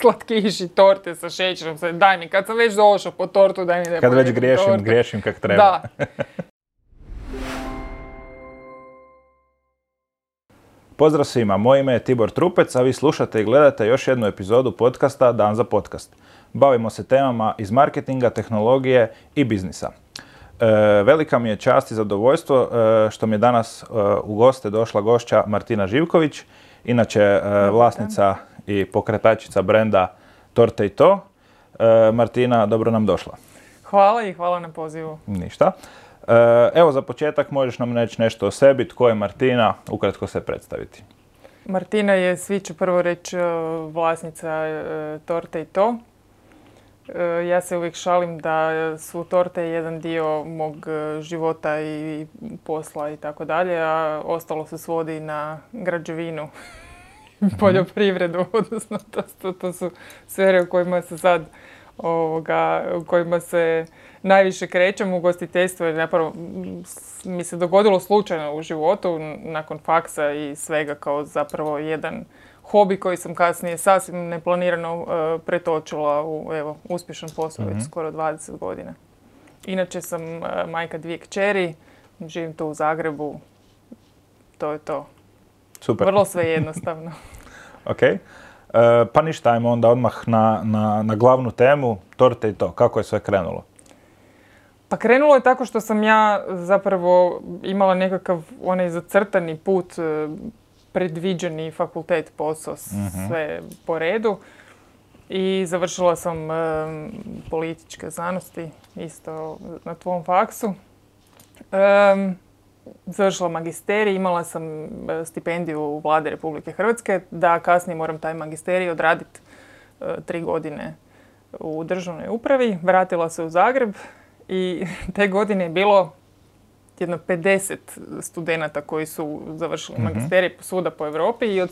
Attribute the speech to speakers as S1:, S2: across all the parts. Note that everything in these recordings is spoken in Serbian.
S1: slatkiši, torte sa šećerom, sve, daj mi, kad sam već došao po tortu, daj mi da
S2: Kad već
S1: tortu.
S2: griješim kak treba.
S1: Da.
S2: Pozdrav svima, moje ime je Tibor Trupec, a vi slušate i gledate još jednu epizodu podcasta Dan za podcast. Bavimo se temama iz marketinga, tehnologije i biznisa. Velika mi je čast i zadovoljstvo što mi je danas u goste došla gošća Martina Živković, inače vlasnica i pokretačica brenda Torte i to. Martina, dobro nam došla.
S1: Hvala i hvala na pozivu.
S2: Ništa. Evo za početak možeš nam reći nešto o sebi, tko je Martina, ukratko se predstaviti.
S1: Martina je, svi ću prvo reći, vlasnica Torte i to. Ja se uvijek šalim da su torte jedan dio mog života i posla i tako dalje, a ostalo se svodi na građevinu, poljoprivredu, odnosno to su sfere u kojima se sad, u kojima se najviše krećem. Ugostiteljstvo je zapravo mi se dogodilo slučajno u životu, nakon faksa i svega, kao zapravo jedan hobi koji sam kasnije sasvim neplanirano pretočila u uspješan posao već skoro 20 godina. Inače sam majka 2 kćeri, živim tu u Zagrebu, to je to.
S2: Super.
S1: Vrlo sve jednostavno.
S2: Ok. Pa ništa, ajmo onda odmah na glavnu temu, Torte i to. Kako je sve krenulo?
S1: Pa krenulo je tako što sam ja zapravo imala nekakav onaj zacrtani put, predviđeni fakultet, posao, sve po redu. I završila sam političke znanosti, isto na tvom faksu. Završila magisterij, imala sam stipendiju u Vlade Republike Hrvatske, da kasnije moram taj magisterij odraditi 3 godine u državnoj upravi. Vratila se u Zagreb i te godine je bilo jedno 50 studenata koji su završili magisterij svuda po Europi i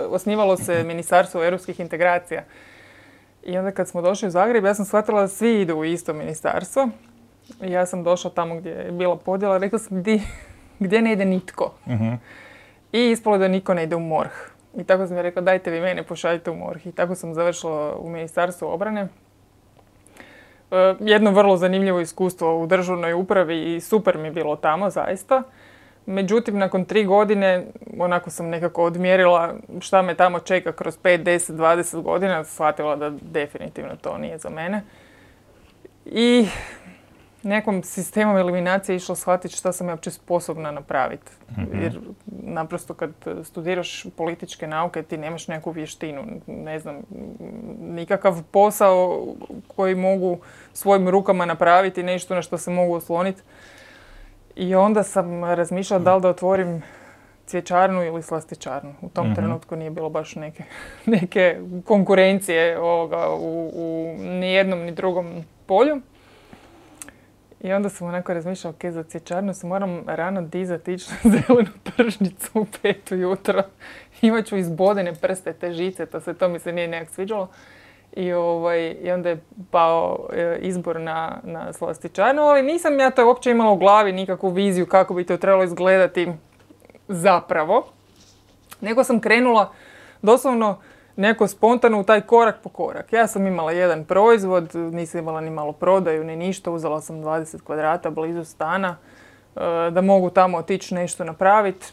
S1: osnivalo se Ministarstvo europskih integracija. I onda kad smo došli u Zagreb, ja sam shvatila da svi idu u isto ministarstvo. I ja sam došla tamo gdje je bila podjela, rekla sam gdje ne ide nitko. I ispalo da niko ne ide u MORH. I tako sam ja rekla, dajte vi mene, pošaljite u MORH. I tako sam završila u Ministarstvu obrane. Jedno vrlo zanimljivo iskustvo u državnoj upravi i super mi je bilo tamo, zaista. Međutim, nakon 3 godine, onako sam nekako odmjerila šta me tamo čeka kroz 5, 10, 20 godina, shvatila da definitivno to nije za mene. I nekom sistemom eliminacije išla shvatiti šta sam ja uopće sposobna napraviti. Jer naprosto kad studiraš političke nauke ti nemaš neku vještinu, ne znam, nikakav posao koji mogu svojim rukama napraviti, nešto na što se mogu osloniti. I onda sam razmišljala da li da otvorim cvjećarnu ili slastičarnu. U tom trenutku nije bilo baš neke konkurencije u nijednom ni drugom polju. I onda sam onako razmišljala, ok, za cvjećarnu se moram rano dizati, ići na zelenu tržnicu u 5 ujutro. Imat ću izbodene prste, te žice, to mi se nije nekak sviđalo. I onda je pao izbor na slastičarnu, ali nisam ja to uopće imala u glavi nikakvu viziju kako bi to trebalo izgledati zapravo. Nego sam krenula doslovno neko spontano u taj korak po korak. Ja sam imala jedan proizvod, nisam imala ni malo prodaju, ni ništa. Uzela sam 20 kvadrata blizu stana da mogu tamo otići nešto napraviti.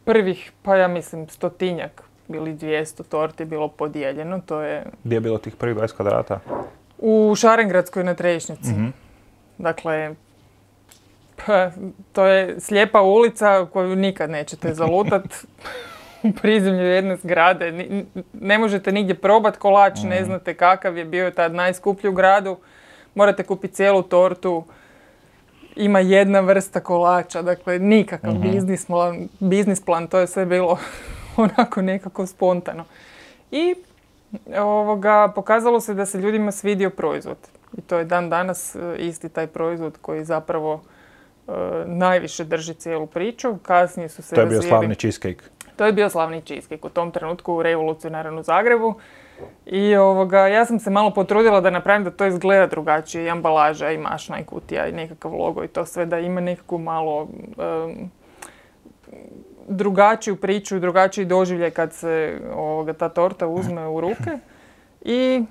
S1: Prvih, pa ja mislim, 100-tinjak ili 200 torti bilo podijeljeno. To je...
S2: Gdje je bilo tih prvih 20 kvadrata?
S1: U Šarengradskoj na Trešnjici. Dakle, to je slijepa ulica koju nikad nećete zalutati. U prizemlju jedne zgrade. Ne možete nigdje probati kolač, ne znate kakav je bio tad najskuplji u gradu. Morate kupiti cijelu tortu. Ima jedna vrsta kolača, dakle nikakav biznis plan, to je sve bilo onako nekako spontano. I pokazalo se da se ljudima svidio proizvod. I to je dan danas isti taj proizvod koji zapravo najviše drži cijelu priču. Kasnije su se
S2: To je bio slavni cheesecake.
S1: To je bio slavni cheesecake u tom trenutku revolucionaran u Zagrebu. I ja sam se malo potrudila da napravim da to izgleda drugačije. I ambalaža, i mašna, i kutija, i nekakav logo i to sve, da ima nekakvu malo drugačiju priču, drugačiji doživljaj kad se ta torta uzme u ruke. I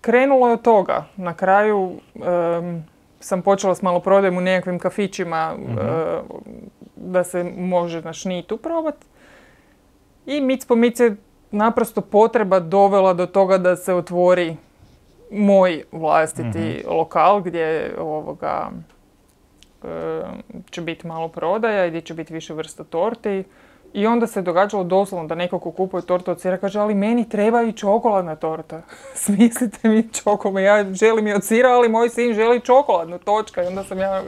S1: krenulo je od toga. Na kraju sam počela s maloprodajom u nekakvim kafićima da se može na šnitu probati. I mic po mic je naprosto potreba dovela do toga da se otvori moj vlastiti lokal gdje će biti malo prodaja i gdje će biti više vrsta torti. I onda se događalo doslovno da neko ko kupuje tortu od sira kaže ali meni treba i čokoladna torta. Smislite mi čokolad. Ja želim i od sira, ali moj sin želi čokoladnu, točka. I onda sam ja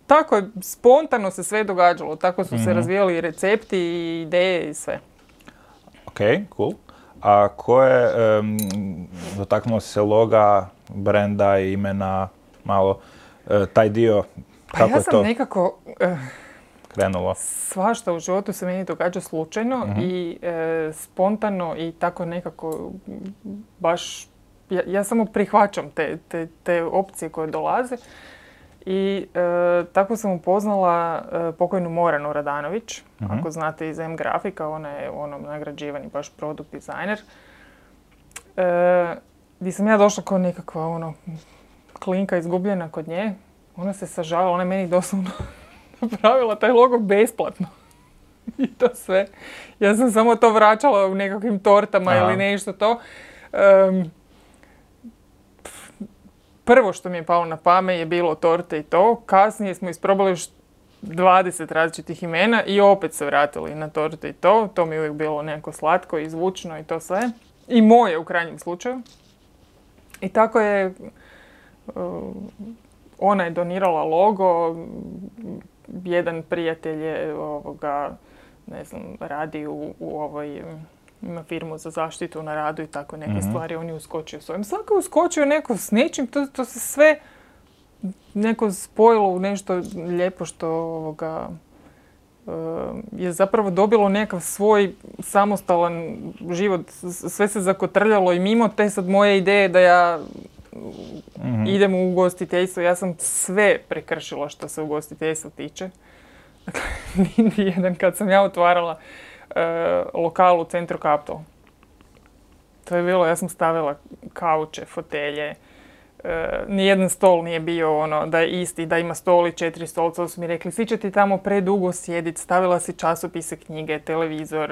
S1: tako je, spontano se sve događalo. Tako su se razvijali i recepti i ideje i sve.
S2: Ok, cool. A ko je, dotaknuo se loga, brenda i imena, malo taj dio, kako
S1: ja
S2: je to?
S1: sam nekako
S2: krenulo?
S1: Svašta u životu se meni događa slučajno i spontano i tako nekako baš, ja samo prihvaćam te opcije koje dolaze. I tako sam upoznala pokojnu Moranu Radanović, ako znate iz M-Grafika, ona je nagrađivani baš produkt dizajner. Gdje sam ja došla kao nekakva klinka izgubljena kod nje. Ona se sažalila, ona je meni doslovno napravila taj logo besplatno. I to sve. Ja sam samo to vraćala u nekakvim tortama ili nešto to. Prvo što mi je palo na pamet je bilo torte i to. Kasnije smo isprobali još 20 različitih imena i opet se vratili na torte i to. To mi je uvijek bilo nekako slatko i zvučno i to sve. I moje u krajnjem slučaju. I tako je ona je donirala logo. Jedan prijatelj je radi u ovoj ima firmu za zaštitu na radu i tako neke stvari, on je uskočio s ovim. Svako je uskočio neko s nečim, to se sve neko spojilo u nešto lijepo što je zapravo dobilo nekakav svoj samostalan život. Sve se zakotrljalo i mimo te sad moje ideje da ja idem u ugostiteljstvo. Ja sam sve prekršila što se ugostiteljstva tiče. Dakle, jedan kad sam ja otvarala lokal u centru Kaptol. To je bilo, ja sam stavila kauče, fotelje. Nijedan stol nije bio da je isti, da ima stol i 4 stolca. To su mi rekli, svi će ti tamo predugo sjediti, stavila si časopise, knjige, televizor,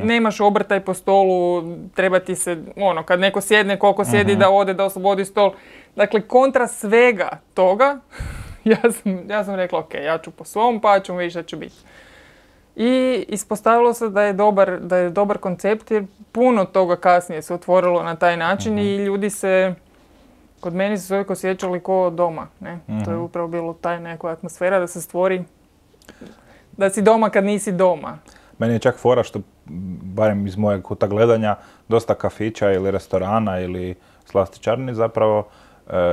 S1: nemaš obrtaj po stolu, treba ti se, kad neko sjedne, koliko sjedi da ode, da oslobodi stol. Dakle, kontra svega toga, ja sam rekla, ok, ja ću po svom, pa ćemo vidjeti šta će biti. I ispostavilo se da je dobar koncept jer puno toga kasnije se otvorilo na taj način i ljudi se, kod meni su se uvijek osjećali ko doma. Ne? To je upravo bilo taj neka atmosfera da se stvori, da si doma kad nisi doma.
S2: Meni je čak fora što, barem iz mojeg kuta gledanja, dosta kafića ili restorana ili slastičarni zapravo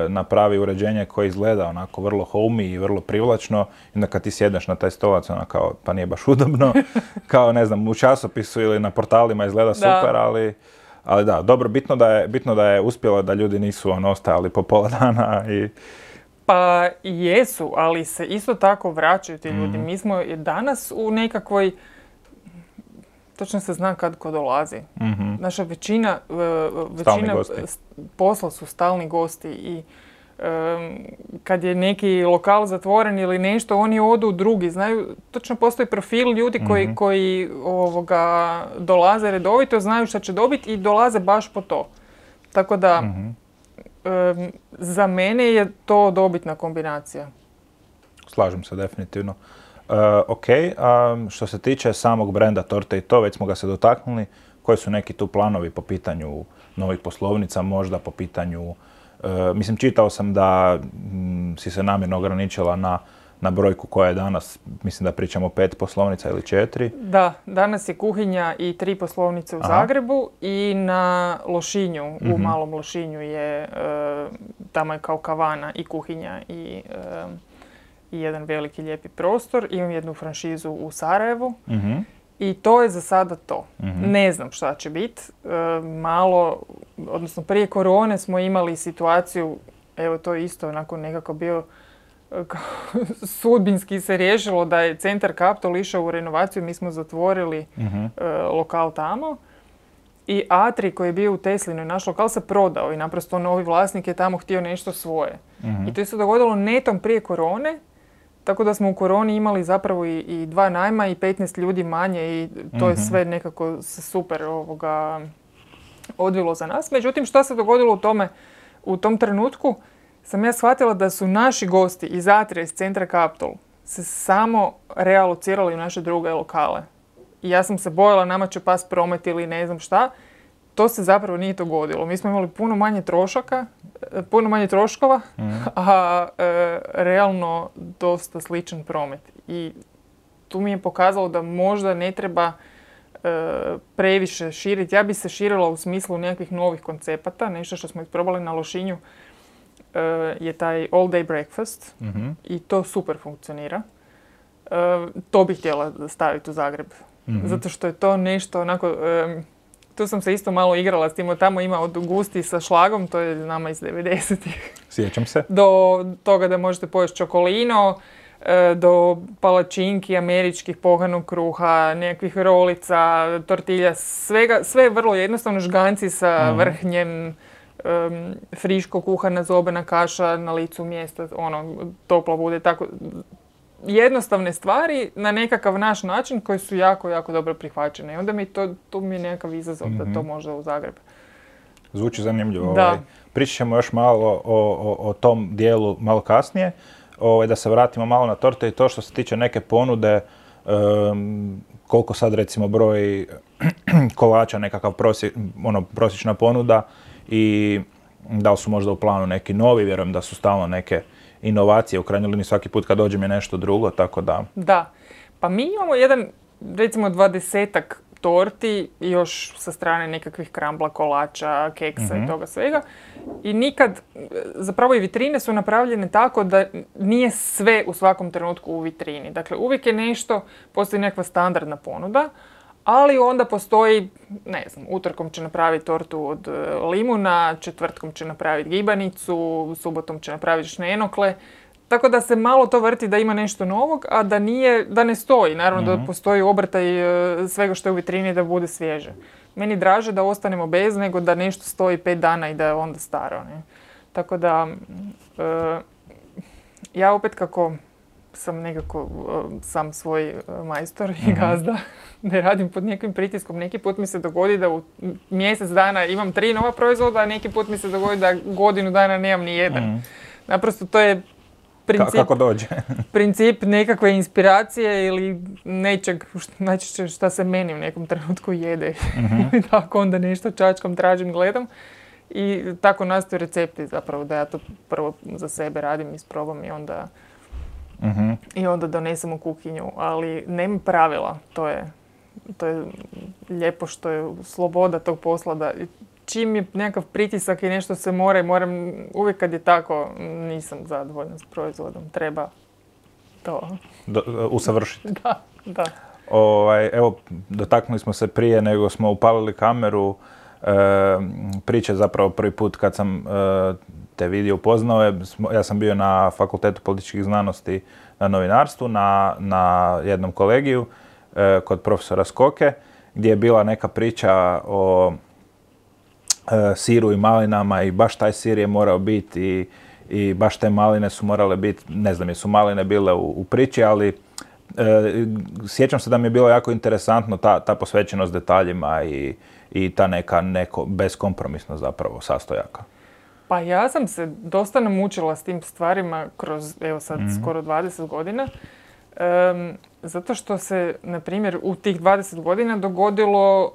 S2: napravi uređenje koje izgleda onako vrlo homey i vrlo privlačno i onda kad ti sjedneš na taj stolac kao pa nije baš udobno, kao ne znam u časopisu ili na portalima izgleda super, ali da, dobro, bitno da je uspjelo da ljudi nisu ostajali po pola dana i...
S1: Pa jesu, ali se isto tako vraćaju ti ljudi. Mi smo danas u nekakvoj, točno se zna kad ko dolazi. Naša većina posla su stalni gosti i kad je neki lokal zatvoren ili nešto, oni odu u drugi. Znaju, točno postoji profil ljudi koji dolaze redovito, znaju šta će dobiti i dolaze baš po to. Tako da, za mene je to dobitna kombinacija.
S2: Slažem se definitivno. Ok, što se tiče samog brenda torte i to, već smo ga se dotaknuli. Koji su neki tu planovi po pitanju novih poslovnica, možda po pitanju... mislim, čitao sam da si se namjerno ograničila na brojku koja je danas, mislim da pričamo 5 poslovnica ili 4.
S1: Da, danas je kuhinja i 3 poslovnice u Zagrebu i na Lošinju, u Malom Lošinju je, tamo je kao kavana i kuhinja i jedan veliki lijepi prostor. Imam jednu franšizu u Sarajevu i to je za sada to. Ne znam šta će biti. Odnosno prije korone smo imali situaciju, evo to je isto onako nekako bio sudbinski se riješilo da je centar Kaptol išao u renovaciju, mi smo zatvorili lokal tamo I Atri koji je bio u Teslinoj, naš lokal se prodao i naprosto novi vlasnik je tamo htio nešto svoje. I to se dogodilo netom prije korone, tako da smo u koroni imali zapravo i 2 najma i 15 ljudi manje i to je sve nekako se super odvilo za nas. Međutim, što se dogodilo u tom trenutku, sam ja shvatila da su naši gosti iz Atrija, iz centra Kaptol, se samo realocirali u naše druge lokale. I ja sam se bojala, nama će pas promet ili ne znam šta. To se zapravo nije dogodilo. Mi smo imali puno manje troškova, a realno dosta sličan promet. I tu mi je pokazalo da možda ne treba previše širiti. Ja bi se širila u smislu nekakvih novih koncepata. Nešto što smo isprobali na Lošinju je taj all day breakfast i to super funkcionira. To bih htjela staviti u Zagreb. Zato što je to nešto onako... Tu sam se isto malo igrala s tim, tamo ima od gusti sa šlagom, to je nama iz 90-ih.
S2: Sjećam se.
S1: Do toga da možete pojesti čokolino, do palačinki, američkih pohanog kruha, nekakvih rolica, tortilja, svega, sve je vrlo jednostavno, žganci sa vrhnjem, friško kuhana zobena kaša na licu mjesta, toplo bude, tako jednostavne stvari na nekakav naš način koji su jako, jako dobro prihvaćene. I onda tu mi je nekakav izazov da to možda u Zagreb.
S2: Zvuči zanimljivo. Pričat ćemo još malo o tom dijelu malo kasnije. Da se vratimo malo na torte i to što se tiče neke ponude, koliko sad recimo broj kolača, nekakav prosječna ponuda i da li su možda u planu neki novi, vjerujem da su stalno neke inovacije, u krajnjoj liniji svaki put kad dođem je nešto drugo, tako da...
S1: Da, pa mi imamo recimo 20-ak torti, još sa strane nekakvih krambla, kolača, keksa i toga svega. I nikad, zapravo i vitrine su napravljene tako da nije sve u svakom trenutku u vitrini. Dakle, uvijek je nešto, postoji nekakva standardna ponuda, ali onda postoji, ne znam, utorkom će napraviti tortu od limuna, četvrtkom će napraviti gibanicu, subotom će napraviti šnenokle. Tako da se malo to vrti da ima nešto novog, a da ne stoji. Naravno da postoji obrtaj svega što je u vitrini da bude svježe. Meni draže da ostanemo bez nego da nešto stoji 5 dana i da je onda staro. Ne? Tako da, ja opet kako sam nekako sam svoj majstor i gazda, ne radim pod nekim pritiskom. Neki put mi se dogodi da u mjesec dana imam 3 nova proizvoda, a neki put mi se dogodi da godinu dana nemam ni jedan. Naprosto to je
S2: kako dođe?
S1: Princip nekakve inspiracije ili nečeg najčešće šta se meni u nekom trenutku jede. Tako onda nešto čačkam, tražim, gledam. I tako nastaju recepti zapravo da ja to prvo za sebe radim, isprobam i onda donesem u kuhinju. Ali nema pravila, to je lijepo što je sloboda tog posla da čim je nekakav pritisak i nešto se moram, uvijek kad je tako, nisam zadovoljna s proizvodom, treba to
S2: usavršiti.
S1: Da.
S2: Evo, dotaknuli smo se prije nego smo upalili kameru, priče zapravo prvi put kad sam te vidio upoznao, ja sam bio na Fakultetu političkih znanosti na novinarstvu, na jednom kolegiju kod profesora Skoke, gdje je bila neka priča o siru i malinama i baš taj sir je morao biti i baš te maline su morale biti, ne znam jesu maline bile u priči, ali sjećam se da mi je bilo jako interesantno ta posvećenost detaljima i ta neko beskompromisno zapravo sastojaka.
S1: Pa ja sam se dosta namučila s tim stvarima kroz, evo sad, skoro 20 godina. Zato što se, na primjer, u tih 20 godina dogodilo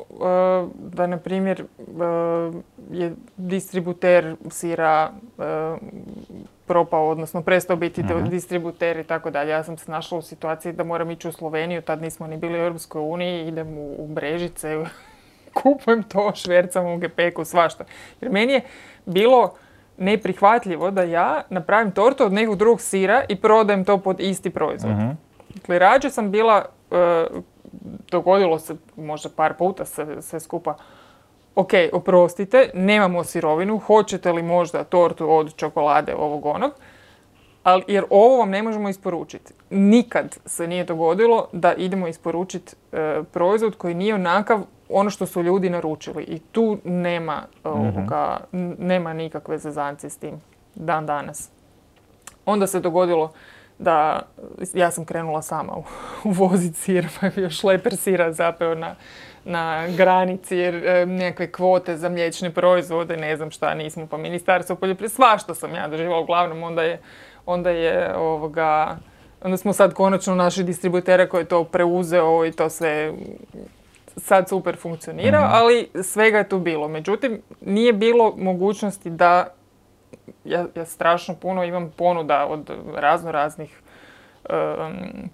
S1: da, na primjer, je distributer sira propao, odnosno prestao biti distributer i tako dalje. Ja sam se našla u situaciji da moram ići u Sloveniju, tad nismo ni bili u Europskoj uniji, idem u Brežice, kupujem to, švercam u gepeku, svašta. Jer meni je bilo neprihvatljivo da ja napravim tortu od nekog drugog sira i prodajem to pod isti proizvod. Dakle, rađe sam bila, dogodilo se možda par puta sve skupa, ok, oprostite, nemamo sirovinu, hoćete li možda tortu od čokolade ovog onog, jer ovo vam ne možemo isporučiti. Nikad se nije dogodilo da idemo isporučiti proizvod koji nije onakav ono što su ljudi naručili. I tu nema nikakve zezancije s tim dan danas. Onda se dogodilo da ja sam krenula sama uvoziti sir, pa je bio šleper sira zapeo na granici jer nekakve kvote za mliječne proizvode, ne znam šta, nismo pa ministarstvo poljoprivrede, svašta sam ja doživjela. Uglavnom onda smo sad konačno našli distributera koji je to preuzeo i to sve sad super funkcionira, ali svega je tu bilo. Međutim, nije bilo mogućnosti da ja strašno puno imam ponuda od raznih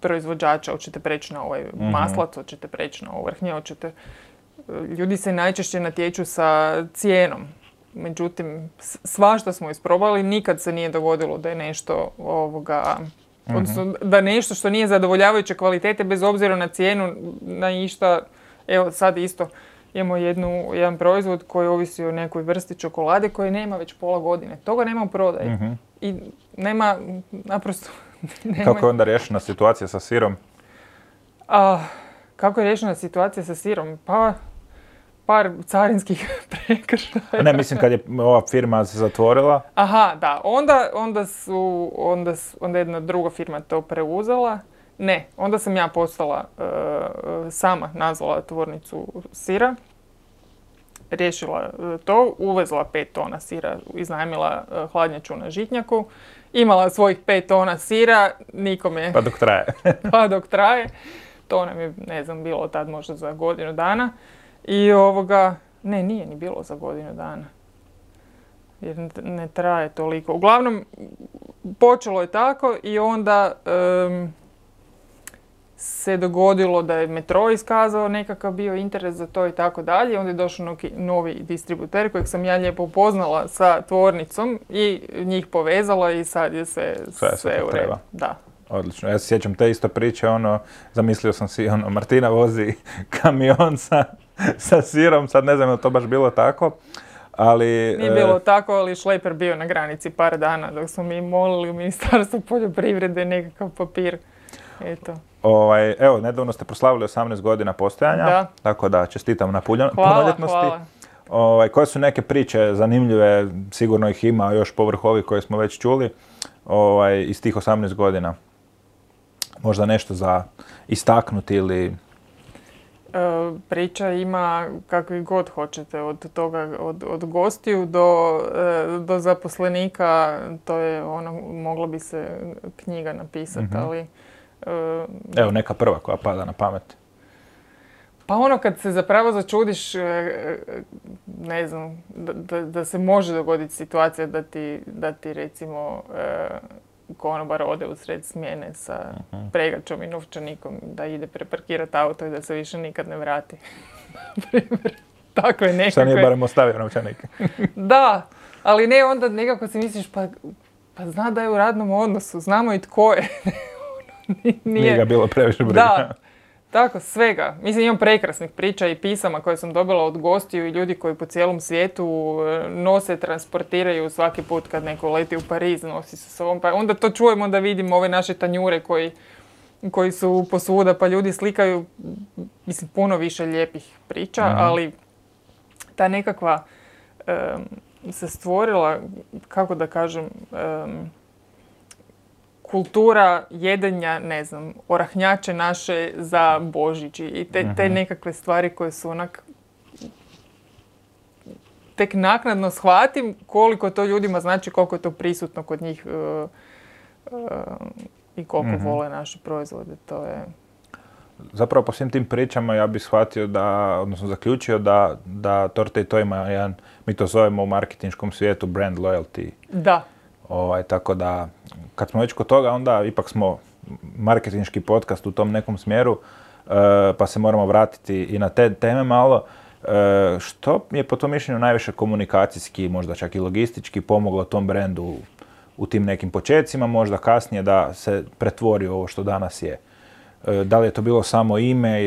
S1: proizvođača, hoćete preći na ovaj maslac, hoćete preći na ovrhnje, ljudi se najčešće natječu sa cijenom. Međutim, svašta smo isprobali, nikad se nije dogodilo da je nešto odnosno da nešto što nije zadovoljavajuće kvalitete bez obzira na cijenu, na išta. Evo sad isto imamo jedan proizvod koji ovisi o nekoj vrsti čokolade koji nema već pola godine. Toga nema u prodaji. I nema, naprosto...
S2: Kako je onda riješena situacija sa sirom?
S1: Kako je riješena situacija sa sirom? Pa, par carinskih prekršaja.
S2: Ne, mislim kad je ova firma se zatvorila.
S1: Aha, da. Onda jedna druga firma to preuzela. Ne, onda sam ja postala sama nazvala tvornicu sira. Riješila to, uvezla 5 tona sira, iznajmila hladnjaču na Žitnjaku. Imala svojih 5 tona sira, nikome...
S2: Pa dok traje.
S1: Pa dok traje. To nam je, ne znam, bilo tad možda za godinu dana. I ne, nije ni bilo za godinu dana. Jer ne traje toliko. Uglavnom, počelo je tako i onda se dogodilo da je Metro iskazao nekakav bio interes za to i tako dalje. Onda je došao novi distributer kojeg sam ja lijepo upoznala sa tvornicom i njih povezala i sad je sve u redu. Da.
S2: Odlično. Ja se sjećam te isto priče, zamislio sam si, Martina vozi kamion sa sirom, sad ne znam je li to baš bilo tako, ali...
S1: Nije bilo tako, ali šleper bio na granici par dana dok smo mi molili u Ministarstvu poljoprivrede nekakav papir. Eto.
S2: Evo, nedavno ste proslavili 18 godina postojanja,
S1: da.
S2: Tako da čestitam na punoljetnosti.
S1: Hvala.
S2: Koje su neke priče zanimljive, sigurno ih ima još povrh ovih koje smo već čuli, iz tih 18 godina? Možda nešto za istaknuti ili...
S1: Priča ima kakvi god hoćete, od toga, od gostiju do zaposlenika, to je mogla bi se knjiga napisati, ali...
S2: Evo neka prva koja pada na pamet.
S1: Pa kad se zapravo začudiš, ne znam, da se može dogoditi situacija da ti recimo konobar ode u sred smjene sa pregačom i novčanikom, da ide preparkirati auto i da se više nikad ne vrati. Takve nekakve...
S2: Šta nije barem ostavio novčanik?
S1: Da, ali ne, onda nekako si misliš, pa zna da je u radnom odnosu, znamo i tko je.
S2: Nije ga bilo previše briga.
S1: Da, tako, svega. Mislim, imam prekrasnih priča i pisama koje sam dobila od gostiju i ljudi koji po cijelom svijetu nose, transportiraju svaki put kad neko leti u Pariz, nosi sa sobom. Pa onda to čujemo da vidimo ove naše tanjure koji su posvuda, pa ljudi slikaju, mislim, puno više lijepih priča, ali ta nekakva se stvorila, kako da kažem, kultura jedenja, ne znam, orahnjače naše za Božić i te nekakve stvari koje su tek naknadno shvatim koliko to ljudima znači, koliko je to prisutno kod njih i koliko vole naše proizvode. To je...
S2: Zapravo po svim tim pričama ja bih shvatio odnosno zaključio da Torte i to ima jedan, mi to zovemo u marketinškom svijetu brand loyalty.
S1: Da.
S2: Tako da, kad smo već kod toga, onda ipak smo marketinški podcast u tom nekom smjeru, pa se moramo vratiti i na te teme malo. Što je po tom mišljenju najviše komunikacijski, možda čak i logistički pomoglo tom brendu u tim nekim počecima, možda kasnije da se pretvori ovo što danas je? Da li je to bilo samo ime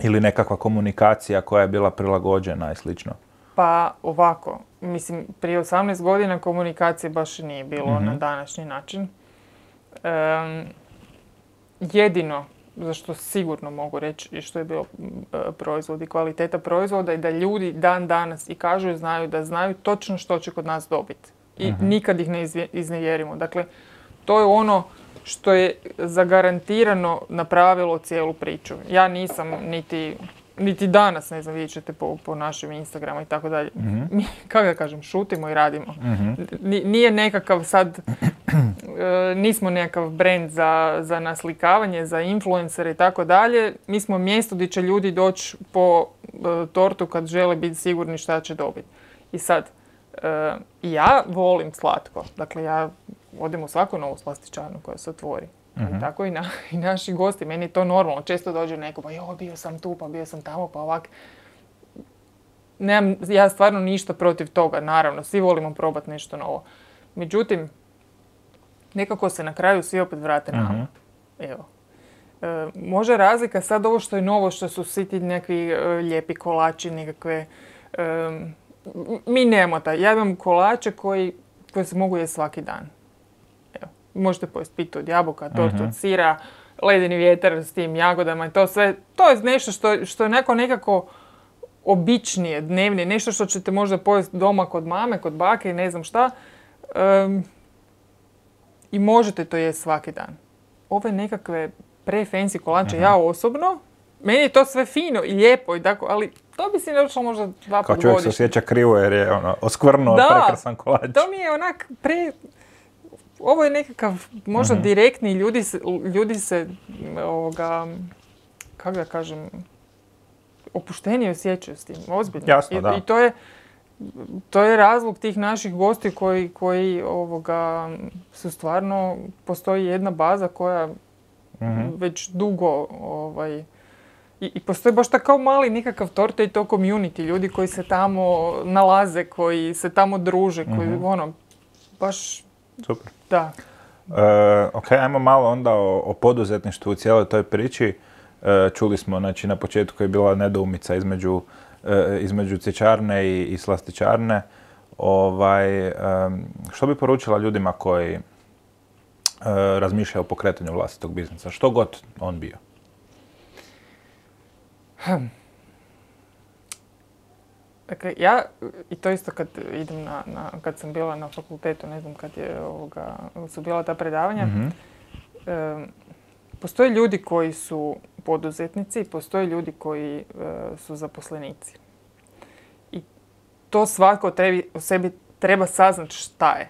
S2: ili nekakva komunikacija koja je bila prilagođena i slično?
S1: Pa ovako, mislim, prije 18 godina komunikacije baš nije bilo na današnji način. Jedino za što sigurno mogu reći i što je bio proizvod i kvaliteta proizvoda i da ljudi dan danas i kažu i znaju da znaju točno što će kod nas dobiti. I nikad ih ne iznevjerimo. Dakle, to je ono što je zagarantirano napravilo cijelu priču. Ja nisam niti danas, ne znam, vidjet ćete po našim Instagramu i tako dalje. Mi, kako da kažem, šutimo i radimo. Nije nekakav sad, nismo nekakav brand za naslikavanje, za influencere i tako dalje. Mi smo mjesto gdje će ljudi doći po tortu kad žele biti sigurni šta će dobiti. I sad, ja volim slatko. Dakle, ja odem u svaku novu slastičarnu koja se otvori. I tako i naši gosti. Meni je to normalno. Često dođe neko, pa bio sam tu, pa bio sam tamo, pa ovak. Nemam ja stvarno ništa protiv toga, naravno. Svi volimo probati nešto novo. Međutim, nekako se na kraju svi opet vrate nama. Evo. Može razlika sad ovo što je novo, što su svi ti nekakvi lijepi kolači, nekakve... mi nemamo taj. Ja imam kolače koji se mogu jesti svaki dan. Evo. Možete pojesti pitu od jabuka, tortu od sira, ledeni vjetar s tim jagodama i to sve. To je nešto što je nekako običnije, dnevnije. Nešto što ćete možda pojesti doma kod mame, kod bake i ne znam šta. I možete to jesti svaki dan. Ove nekakve pre-fancy kolače, ja osobno, meni je to sve fino i lijepo i tako, ali to bi si ne došlo možda 2 puta godišnje. Kao
S2: čovjek se osjeća krivo jer je oskvrnuo prekrasan kolač.
S1: To mi je onak ovo je nekakav možda direktni, ljudi se kako da kažem, opuštenije osjećaju s tim, ozbiljno.
S2: Jasno, da.
S1: I to je razlog tih naših gosti koji su stvarno, postoji jedna baza koja već dugo i postoji baš tako mali nekakav torta i to community, ljudi koji se tamo nalaze, koji se tamo druže, koji baš...
S2: Super.
S1: Da.
S2: Ok, ajmo malo onda o poduzetništvu u cijeloj toj priči. Čuli smo, znači, na početku je bila nedoumica između cvjećarne i slastičarne. Što bi poručila ljudima koji razmišljaju o pokretanju vlastitog biznisa? Što god on bio?
S1: Dakle, ja, i to isto kad idem kad sam bila na fakultetu, ne znam kad su bila ta predavanja, postoje ljudi koji su poduzetnici, postoje ljudi koji su zaposlenici. I to svako o sebi treba saznati šta je.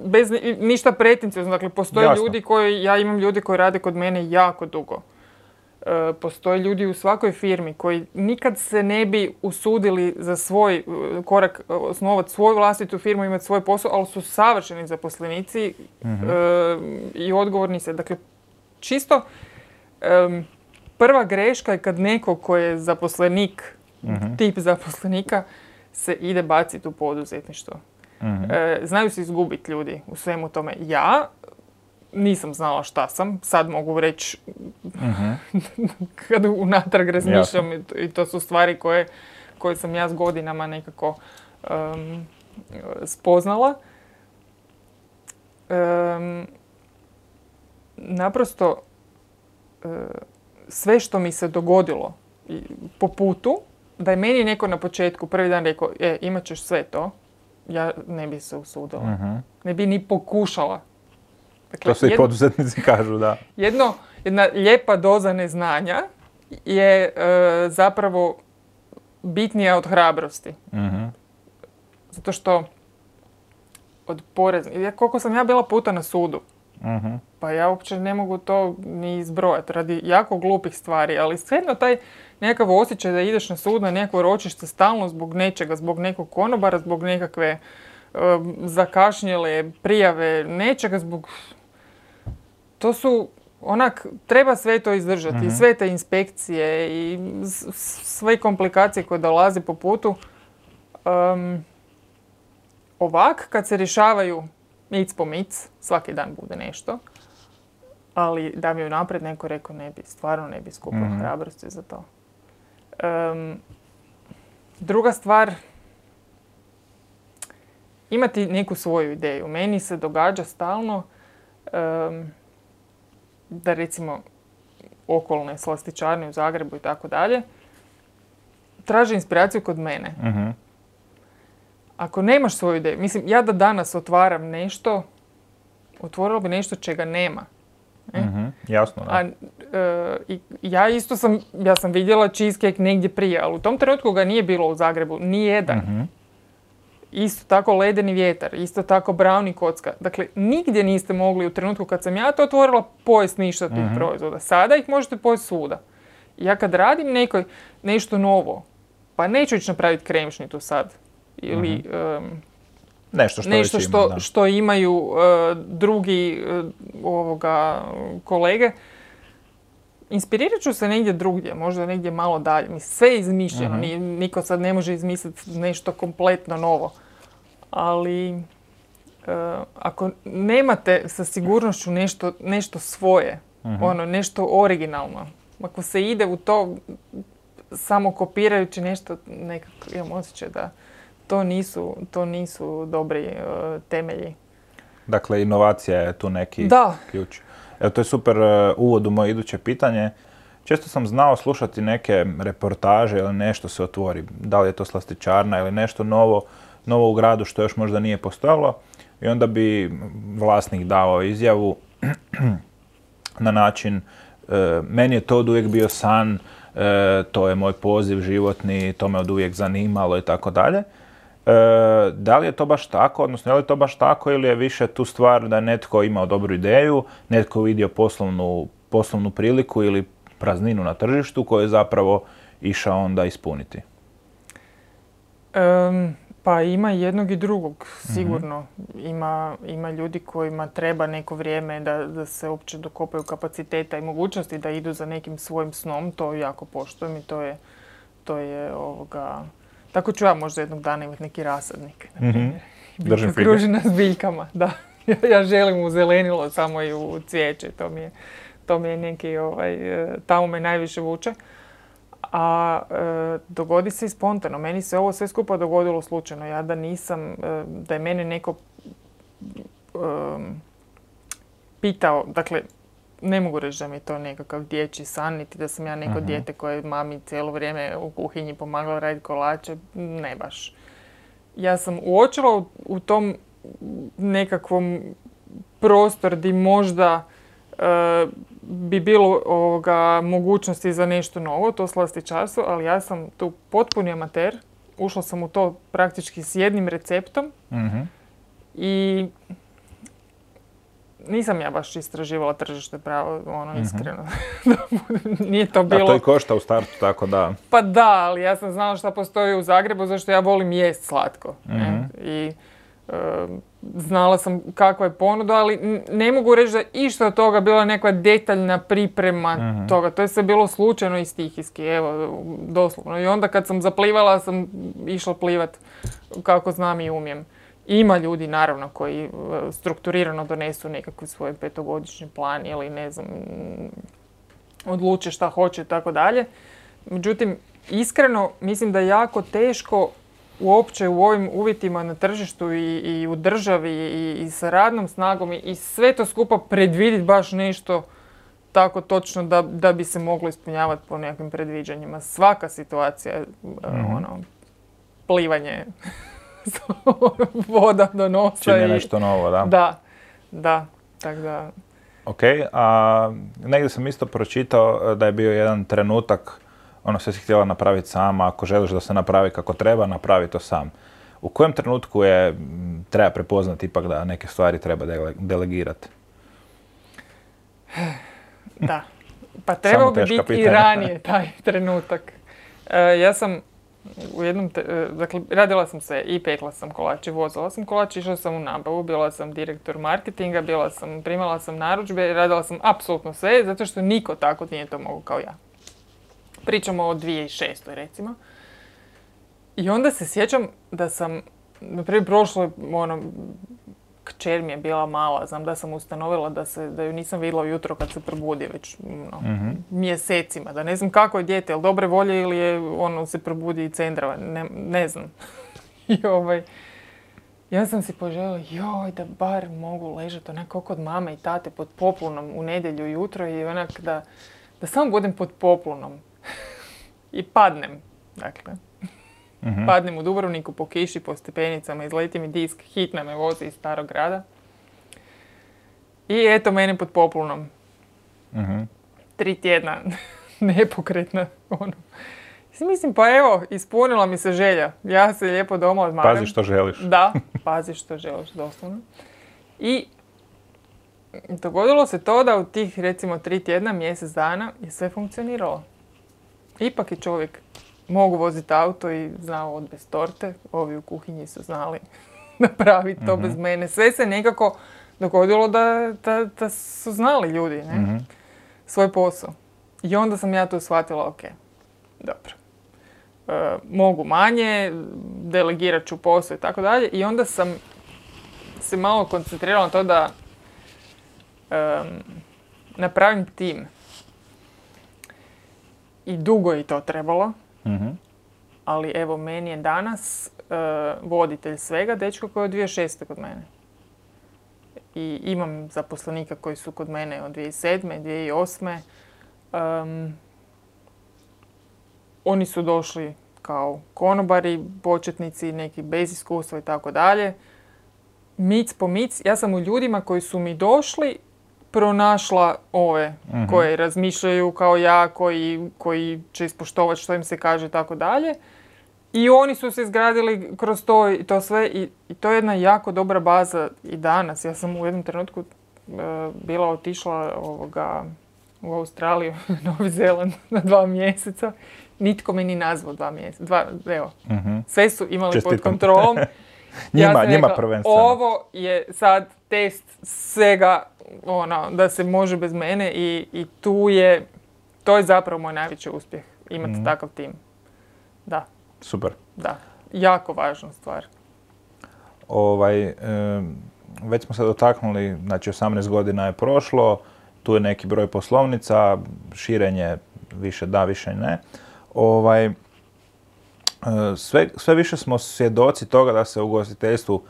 S1: Bez ništa pretenciozno. Dakle, postoje ljudi ja imam ljudi koji rade kod mene jako dugo. Postoje ljudi u svakoj firmi koji nikad se ne bi usudili za svoj korak osnovati svoju vlastitu firmu, imati svoj posao, ali su savršeni zaposlenici i odgovorni se. Dakle, čisto prva greška je kad neko ko je zaposlenik, tip zaposlenika, se ide baciti u poduzetništvo. Znaju se izgubiti ljudi u svemu tome. Ja nisam znala šta sam, sad mogu reći kad unatrag razmišljam i to su stvari koje sam ja s godinama nekako spoznala. Naprosto sve što mi se dogodilo po putu, da je meni neko na početku prvi dan rekao imat ćeš sve to, ja ne bi se usudila. Ne bi ni pokušala. Dakle,
S2: to se i poduzetnici kažu, da.
S1: Jedna lijepa doza neznanja je zapravo bitnija od hrabrosti. Zato što koliko sam ja bila puta na sudu, pa ja uopće ne mogu to ni izbrojati radi jako glupih stvari, ali svejedno taj nekakav osjećaj da ideš na sud, na nekako ročište stalno zbog nečega, zbog nekog konobara, zbog nekakve zakašnjele prijave, nečega zbog... To su, treba sve to izdržati, sve te inspekcije i sve komplikacije koje dolaze po putu. Ovak, kad se rješavaju mic po mic, svaki dan bude nešto, ali da mi unaprijed neko rekao stvarno ne bi skupio hrabrosti za to. Druga stvar, imati neku svoju ideju. Meni se događa stalno da recimo okolne slastičarne u Zagrebu i tako dalje, traže inspiraciju kod mene. Ako nemaš svoju ideju, mislim, ja da danas otvaram nešto, otvorila bi nešto čega nema.
S2: Jasno, da.
S1: Ja sam vidjela cheesecake negdje prije, ali u tom trenutku ga nije bilo u Zagrebu, ni jedan. Isto tako ledeni vjetar, isto tako brownie kocka. Dakle, nigdje niste mogli u trenutku kad sam ja to otvorila pojesti ništa tih proizvoda. Sada ih možete pojesti svuda. Ja kad radim nešto novo, pa neću ići napraviti kremšnitu sad. Ili
S2: nešto
S1: što imaju drugi kolege. Inspirirat ću se negdje drugdje, možda negdje malo dalje. Mislim, sve je izmišljeno, niko sad ne može izmisliti nešto kompletno novo. Ali ako nemate sa sigurnošću nešto svoje, nešto originalno, ako se ide u to samo kopirajući nešto, nekako imam osjećaj da to nisu dobri temelji.
S2: Dakle, inovacija je tu neki ključ. Evo, to je super uvod u moje iduće pitanje. Često sam znao slušati neke reportaže ili nešto se otvori. Da li je to slastičarna ili nešto novo u gradu što još možda nije postojalo. I onda bi vlasnik dao izjavu na način meni je to oduvijek bio san, to je moj poziv životni, to me oduvijek zanimalo i tako dalje. Da li je to baš tako, odnosno je li to baš tako ili je više tu stvar da je netko imao dobru ideju, netko vidio poslovnu priliku ili prazninu na tržištu koju je zapravo išao onda ispuniti?
S1: Pa ima jednog i drugog, sigurno. Ima ljudi kojima treba neko vrijeme da se uopće dokopaju kapaciteta i mogućnosti da idu za nekim svojim snom, to jako poštujem i to je tako ću ja možda jednog dana imati neki rasadnik, na primjer.
S2: Držim fige.
S1: Okružena s biljkama, da. Ja želim u zelenilo, samo i u cvijeće, to mi je neki, tamo me najviše vuče. A dogodi se i spontano. Meni se ovo sve skupa dogodilo slučajno. Ja da je mene neko pitao, dakle, ne mogu reći da mi je to nekakav dječji san, niti da sam ja neko dijete koje mami cijelo vrijeme u kuhinji pomagala raditi kolače, ne baš. Ja sam uočila u tom nekakvom prostor gdje možda bi bilo mogućnosti za nešto novo, to slastičarstvo, ali ja sam tu potpuni amater. Ušla sam u to praktički s jednim receptom i nisam ja baš istraživala tržište pravo, iskreno. Nije to bilo...
S2: A to i košta u startu, tako da...
S1: Pa da, ali ja sam znala šta postoji u Zagrebu, zašto ja volim jest slatko. I znala sam kakva je ponuda, ali ne mogu reći da išta od toga bila neka detaljna priprema toga. To je sve bilo slučajno i stihijski, evo, doslovno. I onda kad sam zaplivala, sam išla plivat kako znam i umijem. Ima ljudi, naravno, koji strukturirano donesu nekakvi svoj 5-godišnji plan ili ne znam, odluče šta hoće i tako dalje. Međutim, iskreno, mislim da je jako teško uopće u ovim uvjetima na tržištu i u državi i sa radnom snagom i sve to skupa predvidjeti baš nešto tako točno da bi se moglo ispunjavati po nekakvim predviđanjima. Svaka situacija, plivanje, voda do nosa.
S2: Čini nešto novo, da?
S1: Da, tako da...
S2: Ok, a negdje sam isto pročitao da je bio jedan trenutak, sve si htjela napraviti sama, ako želiš da se napravi kako treba, napravi to sam. U kojem trenutku treba prepoznati ipak da neke stvari treba delegirati?
S1: Da, pa trebao bi biti i ranije taj trenutak. Ja sam u jednom, dakle, radila sam se i pekla sam kolače, vozila sam kolače, išla sam u nabavu, bila sam direktor marketinga, primala sam narudžbe, radila sam apsolutno sve, zato što niko tako nije to mogao kao ja. Pričamo o 2006. recimo. I onda se sjećam da sam, naprijed prošlo, kćer mi je bila mala, znam da sam ustanovila da ju nisam vidjela ujutro kad se probudi već mjesecima, da ne znam kako je dijete, je li dobre volje ili je se probudi i cendrava, ne znam. I ja sam si poželjela, da bar mogu ležati onako kod mame i tate pod poplunom u nedjelju jutro i onak da da samo budem pod poplonom i padnem. Dakle, padnem u Dubrovniku po kiši, po stepenicama, izleti mi disk, hitna me vozi iz Starog grada. I eto mene pod poplonom. 3 tjedna nepokretna. Mislim, pa evo, ispunila mi se želja. Ja se lijepo doma odmaram.
S2: Pazi što želiš.
S1: Da, pazi što želiš, doslovno. I dogodilo se to da u tih, recimo, 3 tjedna, mjesec dana je sve funkcioniralo. Ipak je čovjek mogu voziti auto i znao odvesti torte. Ovi u kuhinji su znali napraviti to bez mene. Sve se nekako dogodilo da su znali ljudi, ne? Svoj posao. I onda sam ja tu shvatila, ok, dobro. Mogu manje, delegirat ću posao i tako dalje. I onda sam se malo koncentrirala na to da napravim tim. I dugo je to trebalo. Ali evo, meni je danas voditelj svega dečko koji je od 2006. kod mene. I imam zaposlenika koji su kod mene od 2007. 2008. Oni su došli kao konobari, početnici, neki bez iskustva i tako dalje. Mic po mic. Ja sam u ljudima koji su mi došli pronašla ove koje razmišljaju kao ja, koji će ispoštovati što im se kaže i tako dalje. I oni su se izgradili kroz to i to sve. I to je jedna jako dobra baza i danas. Ja sam u jednom trenutku bila otišla u Australiju, Novi Zeland na 2 mjeseca. Nitko me ni nazvao 2 mjeseca. Sve su imali pod kontrolom.
S2: njima prvenstveno.
S1: Ovo je sad test svega da se može bez mene i to je zapravo moj najveći uspjeh. Imati takav tim. Da.
S2: Super.
S1: Da. Jako važna stvar.
S2: Već smo se dotaknuli, znači 18 godina je prošlo, tu je neki broj poslovnica, širenje više da, više ne. Sve više smo svjedoci toga da se u ugostiteljstvu,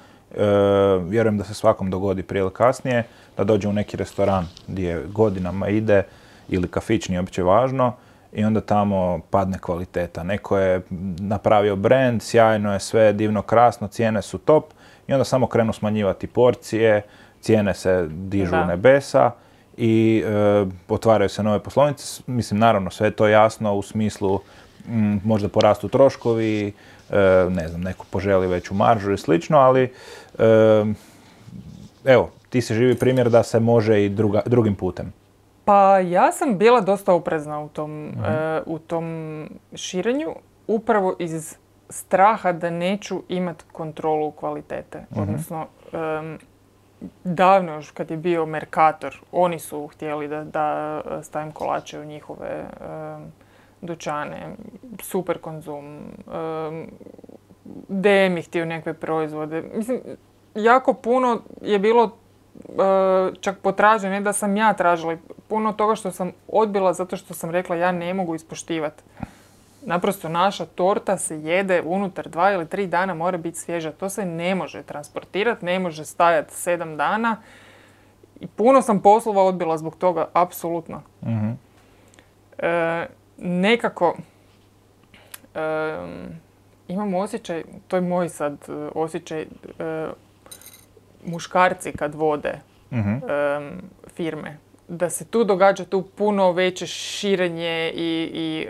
S2: vjerujem da se svakom dogodi prije ili kasnije, da dođe u neki restoran gdje godinama ide, ili kafić, nije uopće važno, i onda tamo padne kvaliteta. Neko je napravio brand, sjajno je sve, divno, krasno, cijene su top, i onda samo krenu smanjivati porcije, cijene se dižu u nebesa i otvaraju se nove poslovnice. Mislim, naravno, sve je to jasno u smislu možda porastu troškovi, ne znam, neko poželi veću maržu i slično, ali evo, ti si živi primjer da se može i drugim putem.
S1: Pa ja sam bila dosta oprezna u tom širenju, upravo iz straha da neću imati kontrolu kvalitete. Odnosno, davno još kad je bio Mercator, oni su htjeli da stavim kolače u njihove dućane, Super Konzum, DM je htio nekakve proizvode. Mislim, jako puno je bilo čak potražnje, ne da sam ja tražila, puno toga što sam odbila zato što sam rekla ja ne mogu ispoštivati. Naprosto naša torta se jede unutar 2 ili 3 dana, mora biti svježa. To se ne može transportirati, ne može stajati 7 dana. I puno sam poslova odbila zbog toga, apsolutno. Nekako imam osjećaj, to je moj sad osjećaj, muškarci kad vode firme, da se tu događa tu puno veće širenje i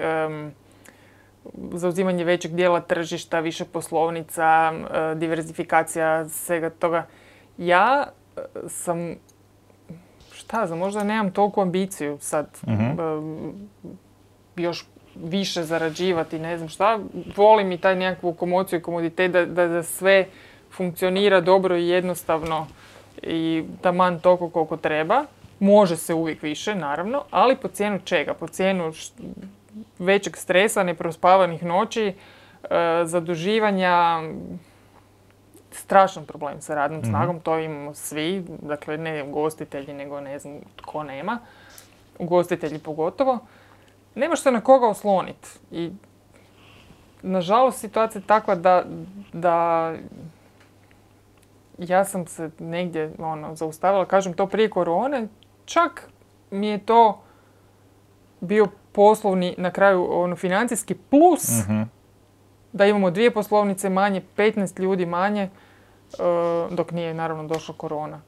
S1: zauzimanje većeg dijela tržišta, više poslovnica, diverzifikacija svega toga. Ja sam, šta znam, možda nemam toliku ambiciju sad još više zarađivati, ne znam šta. Volim i taj nekakvu komociju i komoditet da sve funkcionira dobro i jednostavno i taman toliko koliko treba. Može se uvijek više, naravno, ali po cijenu čega? Po cijenu većeg stresa, neprospavanih noći, zaduživanja, strašan problem sa radnom snagom, to imamo svi, dakle ne ugostitelji, nego ne znam tko nema, ugostitelji pogotovo. Nemaš se na koga osloniti i nažalost situacija je takva da ja sam se negdje zaustavila, kažem to prije korone, čak mi je to bio poslovni, na kraju financijski plus, da imamo 2 poslovnice manje, 15 ljudi manje, dok nije naravno došla korona.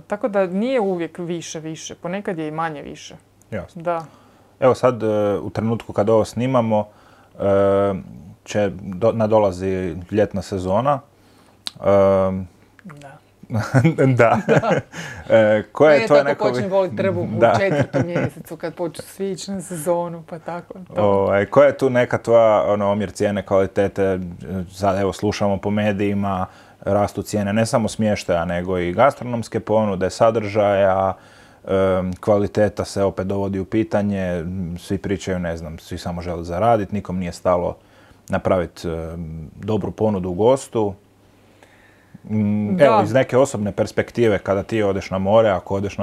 S1: Tako da nije uvijek više, ponekad je i manje više.
S2: Jasno.
S1: Da.
S2: Evo sad, u trenutku kad ovo snimamo, nadolazi ljetna sezona.
S1: Da.
S2: Da. Koje je tvoje neko...
S1: počne voliti trbuh u 4. mjesecu kad počne svi ići na sezonu, pa tako.
S2: Koja je tu neka tvoja omjer cijene, kvalitete? Sad evo slušamo po medijima, rastu cijene ne samo smještaja, nego i gastronomske ponude, sadržaja, kvaliteta se opet dovodi u pitanje, svi pričaju, ne znam, svi samo žele zaraditi, nikom nije stalo napraviti dobru ponudu gostu. Evo, iz neke osobne perspektive, kada ti odeš na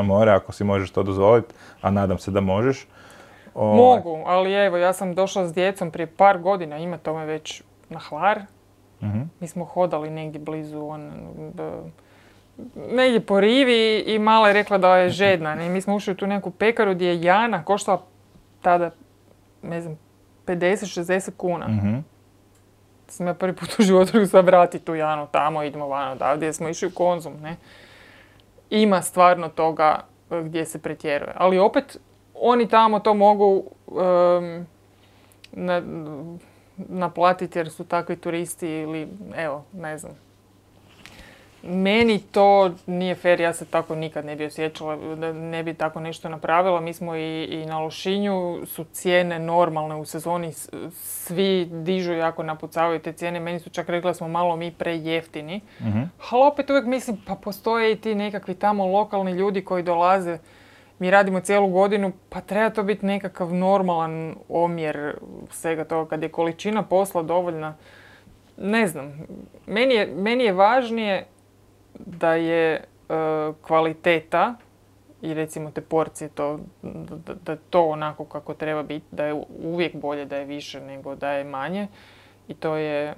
S2: more, ako si možeš to dozvoliti, a nadam se da možeš.
S1: Mogu, ali evo, ja sam došla s djecom prije par godina, ima tome već na Hvar. Mi smo hodali negdje blizu, negdje po rivi i mala je rekla da je žedna. Mi smo ušli u tu neku pekaru gdje je Jana koštala tada, ne znam, 50-60 kuna. Sam ja prvi put u životu sad vrati tu Janu tamo, idemo van odavdje, smo išli u Konzum, ne. Ima stvarno toga gdje se pretjeruje. Ali opet, oni tamo to mogu naplatiti jer su takvi turisti ili, evo, ne znam. Meni to nije fair, ja se tako nikad ne bi osjećala, da ne bi tako nešto napravila. Mi smo i na Lošinju, su cijene normalne u sezoni, svi dižu jako napucavaju te cijene. Meni su čak rekli da smo malo mi prejeftini. Ali opet uvijek mislim, pa postoje i ti nekakvi tamo lokalni ljudi koji dolaze. Mi radimo cijelu godinu, pa treba to biti nekakav normalan omjer svega toga. Kad je količina posla dovoljna, ne znam. Meni je važnije da je kvaliteta i recimo te porcije da je to onako kako treba biti, da je uvijek bolje da je više nego da je manje. I to je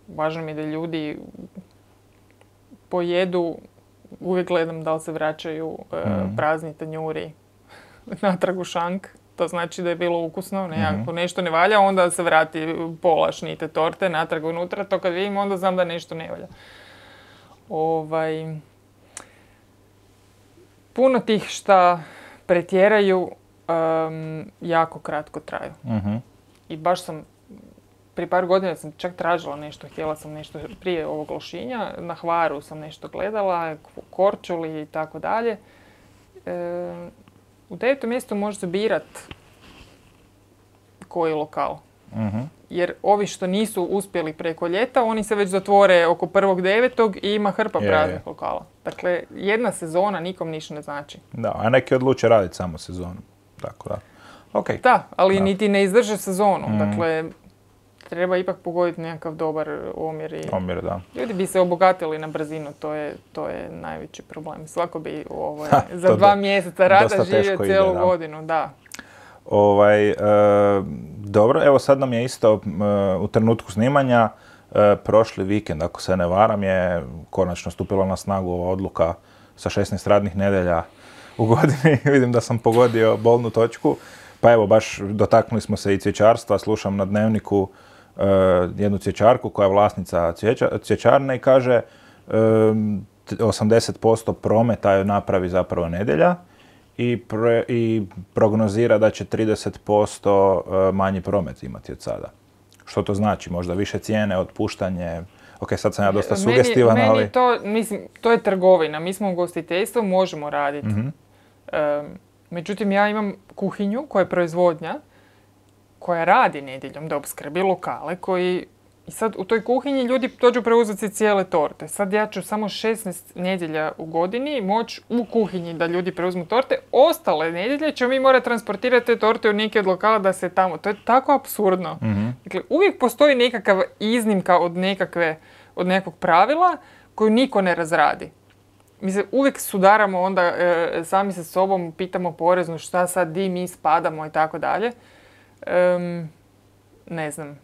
S1: važno mi je da ljudi pojedu, uvijek gledam da li se vraćaju prazni tanjuri natrag u šank. To znači da je bilo ukusno, ako nešto ne valja, onda se vrati pola šnite torte natrag unutra. To kad vidim, onda znam da nešto ne valja. Puno tih šta pretjeraju jako kratko traju. I baš sam, prije par godina sam čak tražila nešto, htjela sam nešto prije ovog Lošinja, na Hvaru sam nešto gledala, Korčuli i tako dalje. U 9. mjestu može se birat koji lokal. Jer ovi što nisu uspjeli preko ljeta, oni se već zatvore oko 1.9. i ima hrpa praznih lokala. Dakle, jedna sezona nikom ništa ne znači.
S2: Da, a neki odluče raditi samo sezonu. Tako da. Okay.
S1: Da, ali niti ne izdrže sezonu. Dakle, treba ipak pogoditi nekakav dobar omjer.
S2: Omjer, da.
S1: Ljudi bi se obogatili na brzinu, to je najveći problem. Svako bi za 2 mjeseca rada živio cijelu godinu, da.
S2: Dobro, evo sad nam je isto u trenutku snimanja, prošli vikend, ako se ne varam, je konačno stupila na snagu ova odluka sa 16 radnih nedjelja u godini. Vidim da sam pogodio bolnu točku. Pa evo, baš dotaknuli smo se i cvjećarstva. Slušam na Dnevniku jednu cvjećarku koja je vlasnica cvjećarne i kaže 80% prometa joj napravi zapravo nedjelja. I prognozira da će 30% manji promet imati od sada. Što to znači? Možda više cijene, otpuštanje? Ok, sad sam ja dosta sugestivan, ali...
S1: Meni to, mislim, to je trgovina. Mi smo u ugostiteljstvu, možemo raditi. Međutim, ja imam kuhinju koja je proizvodnja, koja radi nedjeljom da opskrbi lokale koji... I sad u toj kuhinji ljudi dođu preuzeti cijele torte. Sad ja ću samo 16 nedjelja u godini moći u kuhinji da ljudi preuzmu torte. Ostale nedjelje ćemo mi morati transportirati te torte u neke od lokala da se tamo... To je tako apsurdno. Dakle, uvijek postoji nekakav iznimka od nekog pravila koju niko ne razradi. Mi se uvijek sudaramo onda sami sa sobom, pitamo poreznu šta sad, di mi spadamo i tako dalje. Ne znam.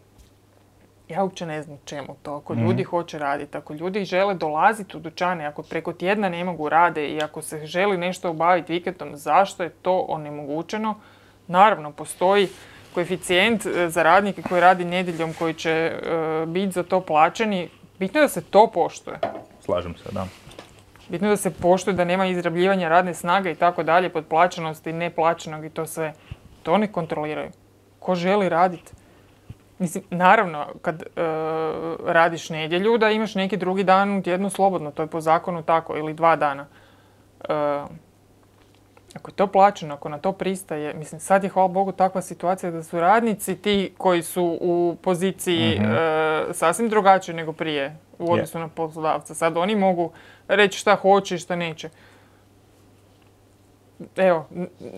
S1: Ja uopće ne znam čemu to. Ako ljudi hoće raditi, ako ljudi žele dolaziti u dućane, ako preko tjedna ne mogu rade i ako se želi nešto obaviti vikendom, zašto je to onemogućeno? Naravno, postoji koeficijent za radnike koji radi nedjeljom, koji će biti za to plaćeni. Bitno je da se to poštuje.
S2: Slažem se, da.
S1: Bitno je da se poštuje, da nema izrabljivanja radne snage i tako dalje, podplaćenosti, neplaćenog i to sve. To ne kontroliraju. Ko želi raditi? Mislim, naravno, kad radiš nedjelju, da imaš neki drugi dan u tjednu slobodno. To je po zakonu tako, ili 2 dana. Ako je to plaćeno, ako na to pristaje, mislim, sad je, hvala Bogu, takva situacija da su radnici ti koji su u poziciji sasvim drugačije nego prije u odnosu na poslodavca. Sad oni mogu reći šta hoće i šta neće. Evo,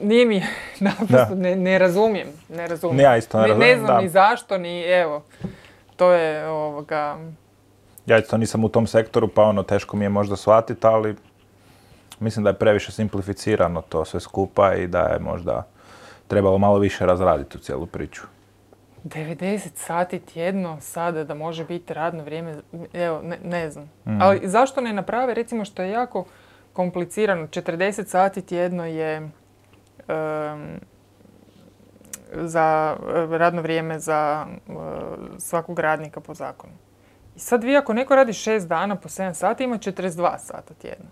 S1: nije mi, naprosto ne razumijem.
S2: Ja isto ne razumijem,
S1: ne znam ni zašto, ni evo. To je
S2: Ja isto nisam u tom sektoru, pa teško mi je možda shvatiti, ali mislim da je previše simplificirano to sve skupa i da je možda trebalo malo više razraditi u cijelu priču.
S1: 90 sati tjedno sada da može biti radno vrijeme, evo, ne znam. Ali zašto ne naprave, recimo, što je jako komplicirano, 40 sati tjedno je za radno vrijeme za svakog radnika po zakonu. I sad vi ako neko radi 6 dana po 7 sati, ima 42 sata tjedno.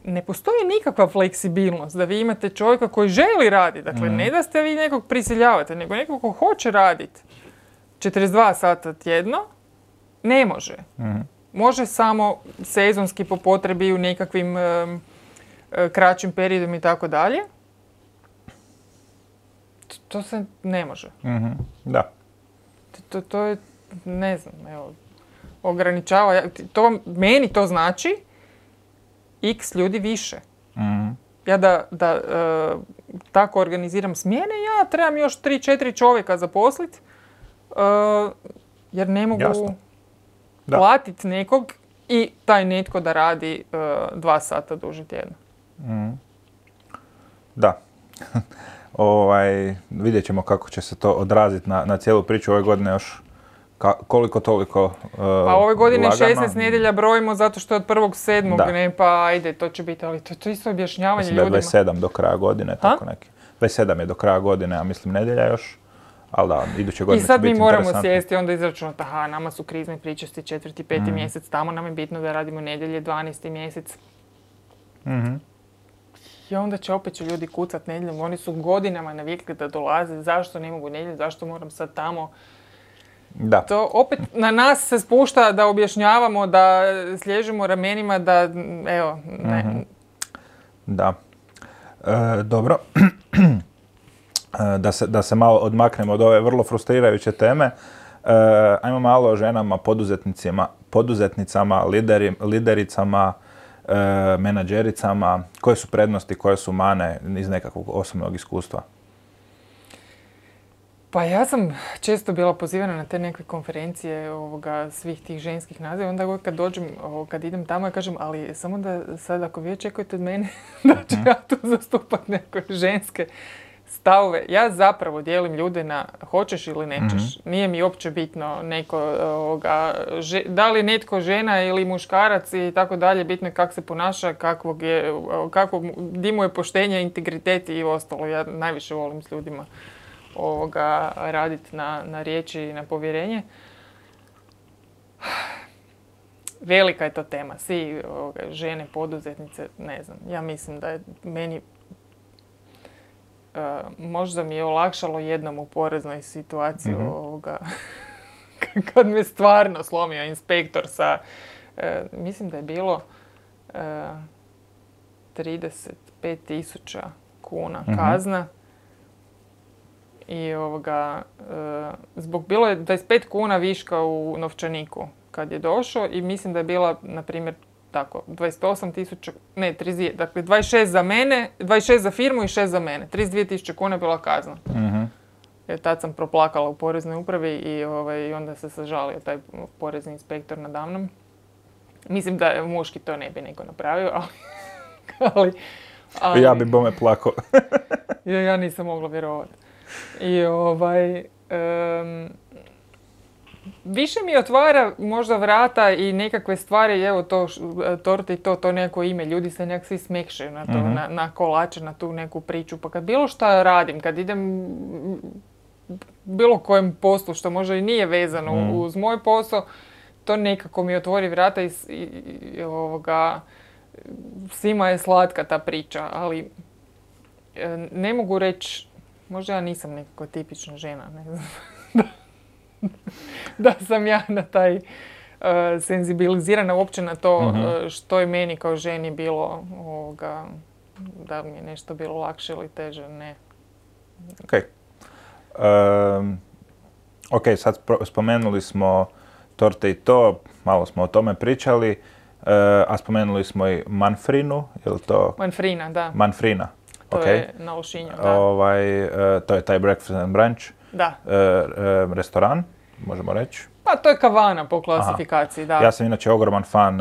S1: Ne postoji nikakva fleksibilnost da vi imate čovjeka koji želi raditi. Dakle, ne da ste vi nekog prisiljavate, nego nekog ko hoće raditi 42 sata tjedno, ne može. Može samo sezonski po potrebi u nekakvim kraćim periodom i tako dalje. To se ne može.
S2: Da.
S1: To je, ne znam, evo, ograničava. Meni to znači x ljudi više. Ja da tako organiziram smjene, ja trebam još 3-4 čovjeka zaposliti, jer ne mogu platiti nekog i taj netko da radi 2 sata duže tjedno.
S2: Da. Vidjet ćemo kako će se to odraziti na cijelu priču ove godine još. Koliko toliko
S1: Pa ove godine
S2: lagano.
S1: 16 nedjelja brojimo zato što je od 1.7. ne, pa ajde, to će biti, ali to je isto objašnjavanje ljudima.
S2: Mislim da je 27 do kraja godine, tako neki. 27 je do kraja godine, a mislim nedjelja još, ali da, iduće godine će biti interesantno.
S1: I sad mi moramo sjesti onda izračunati, nama su krizne pričasti 4. 5. mjesec, tamo nam je bitno da radimo nedjelje 12. mjesec. I onda će opet ljudi kucat nedjeljom, oni su godinama navikli da dolaze, zašto ne mogu nedjelju, zašto moram sad tamo.
S2: Da.
S1: To opet na nas se spušta da objašnjavamo, da sliježemo ramenima, da evo, ne.
S2: Da. Dobro. Da se malo odmaknemo od ove vrlo frustrirajuće teme. Ajmo malo o ženama, poduzetnicama, lidericama, menadžericama. Koje su prednosti, koje su mane iz nekakvog osobnog iskustva?
S1: Pa ja sam često bila pozivana na te neke konferencije svih tih ženskih naziva. Onda kad dođem, kad idem tamo, ja kažem, ali samo da sad ako vi očekujete od mene da ću ja tu zastupati neke ženske stavove. Ja zapravo dijelim ljude na hoćeš ili nećeš. Nije mi uopće bitno da li netko žena ili muškarac i tako dalje. Bitno je kako se ponaša, di mu je poštenje, integritet i ostalo. Ja najviše volim s ljudima raditi na riječi i na povjerenje. Velika je to tema. Svi žene, poduzetnice, ne znam. Ja mislim da je meni možda mi je olakšalo jednom u poreznoj situaciji kad me stvarno slomio inspektor sa, mislim da je bilo 35.000 kuna kazna. I zbog bilo je 25 kuna viška u novčaniku kad je došao i mislim da je bila, na primjer, tako, 28.000, ne, 32, dakle 26 za mene, 26 za firmu i 6 za mene. 32.000 kuna je bila kazna. Jer tad sam proplakala u poreznoj upravi i onda se sažalio taj porezni inspektor nadamnom. Mislim da je muški to ne bi neko napravio, ali
S2: ja bi bome plakao.
S1: Ja nisam mogla vjerovati. I više mi otvara možda vrata i nekakve stvari, evo to torte i to neko ime, ljudi se nekak svi smekšaju na to, na kolače, na tu neku priču. Pa kad bilo šta radim, kad idem bilo kojem poslu što možda i nije vezano uz moj posao, to nekako mi otvori vrata i svima je slatka ta priča, ali ne mogu reći, možda ja nisam nekako tipična žena, ne znam, da sam ja na taj senzibilizirana uopće na to što je meni kao ženi bilo, da mi je nešto bilo lakše ili teže, ne.
S2: Ok, sad spomenuli smo torte i to, malo smo o tome pričali, a spomenuli smo i Manfrinu, je li to?
S1: Manfrina, da.
S2: Manfrina,
S1: to
S2: ok.
S1: To je na Lošinju, da.
S2: To je taj breakfast and brunch.
S1: Da.
S2: Restoran, možemo reći.
S1: Pa to je kavana po klasifikaciji, da.
S2: Ja sam inače ogroman fan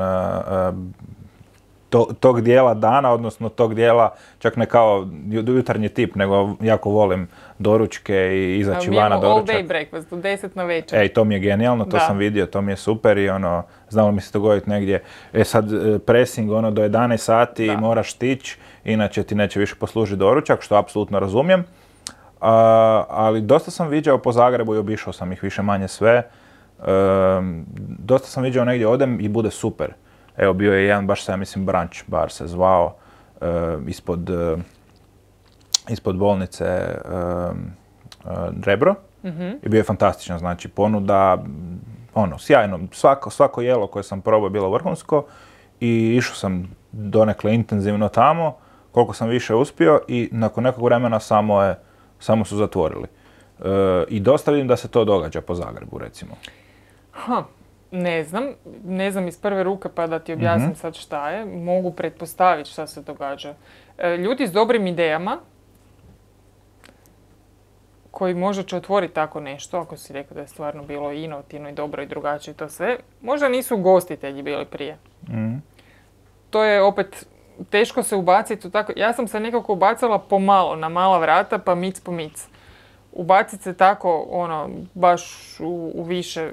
S2: tog dijela dana, odnosno tog dijela, čak ne kao jutarnji tip, nego jako volim doručke i izaći van na doručak.
S1: All day breakfast, u 10 na večer.
S2: To mi je genijalno, to sam vidio, to mi je super i znalo mi se dogoditi negdje, sad pressing do 11 sati moraš stići, inače ti neće više poslužiti doručak, što apsolutno razumijem. Ali dosta sam viđao po Zagrebu i obišao sam ih više manje sve. Dosta sam viđao negdje odem i bude super. Evo, bio je jedan, baš sam mislim, brunch bar se zvao, ispod bolnice Rebro. I bio je fantastičan, znači ponuda, sjajno. Svako jelo koje sam probao je bilo vrhunsko i išao sam donekle intenzivno tamo, koliko sam više uspio i nakon nekog vremena samo su zatvorili. I dosta vidim da se to događa po Zagrebu, recimo.
S1: Ne znam iz prve ruke pa da ti objasnim sad šta je. Mogu pretpostaviti šta se događa. Ljudi s dobrim idejama, koji možda će otvoriti tako nešto, ako si rekao da je stvarno bilo inovativno i dobro i drugačije i to sve, možda nisu ugostitelji bili prije. To je opet teško se ubaciti u tako. Ja sam se nekako ubacala pomalo, na mala vrata, pa mic po mic. Ubaciti se tako, baš u više,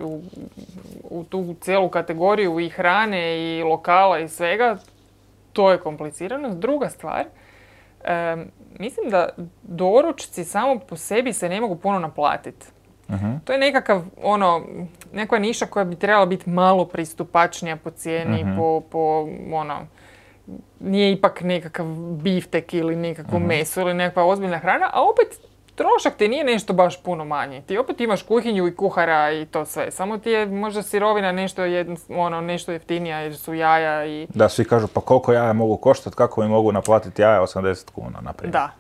S1: u tu cijelu kategoriju i hrane i lokala i svega, to je komplicirano. Druga stvar, mislim da doručci samo po sebi se ne mogu puno naplatiti. To je neka niša koja bi trebala biti malo pristupačnija po cijeni, nije ipak nekakav biftek ili nekakvo meso ili nekakva ozbiljna hrana, a opet trošak ti nije nešto baš puno manji. Ti opet imaš kuhinju i kuhara i to sve. Samo ti je možda sirovina nešto jeftinija jer su jaja i...
S2: Da, svi kažu pa koliko jaja mogu koštati, kako mi mogu naplatiti jaja 80 kuna, naprimjer.
S1: Da.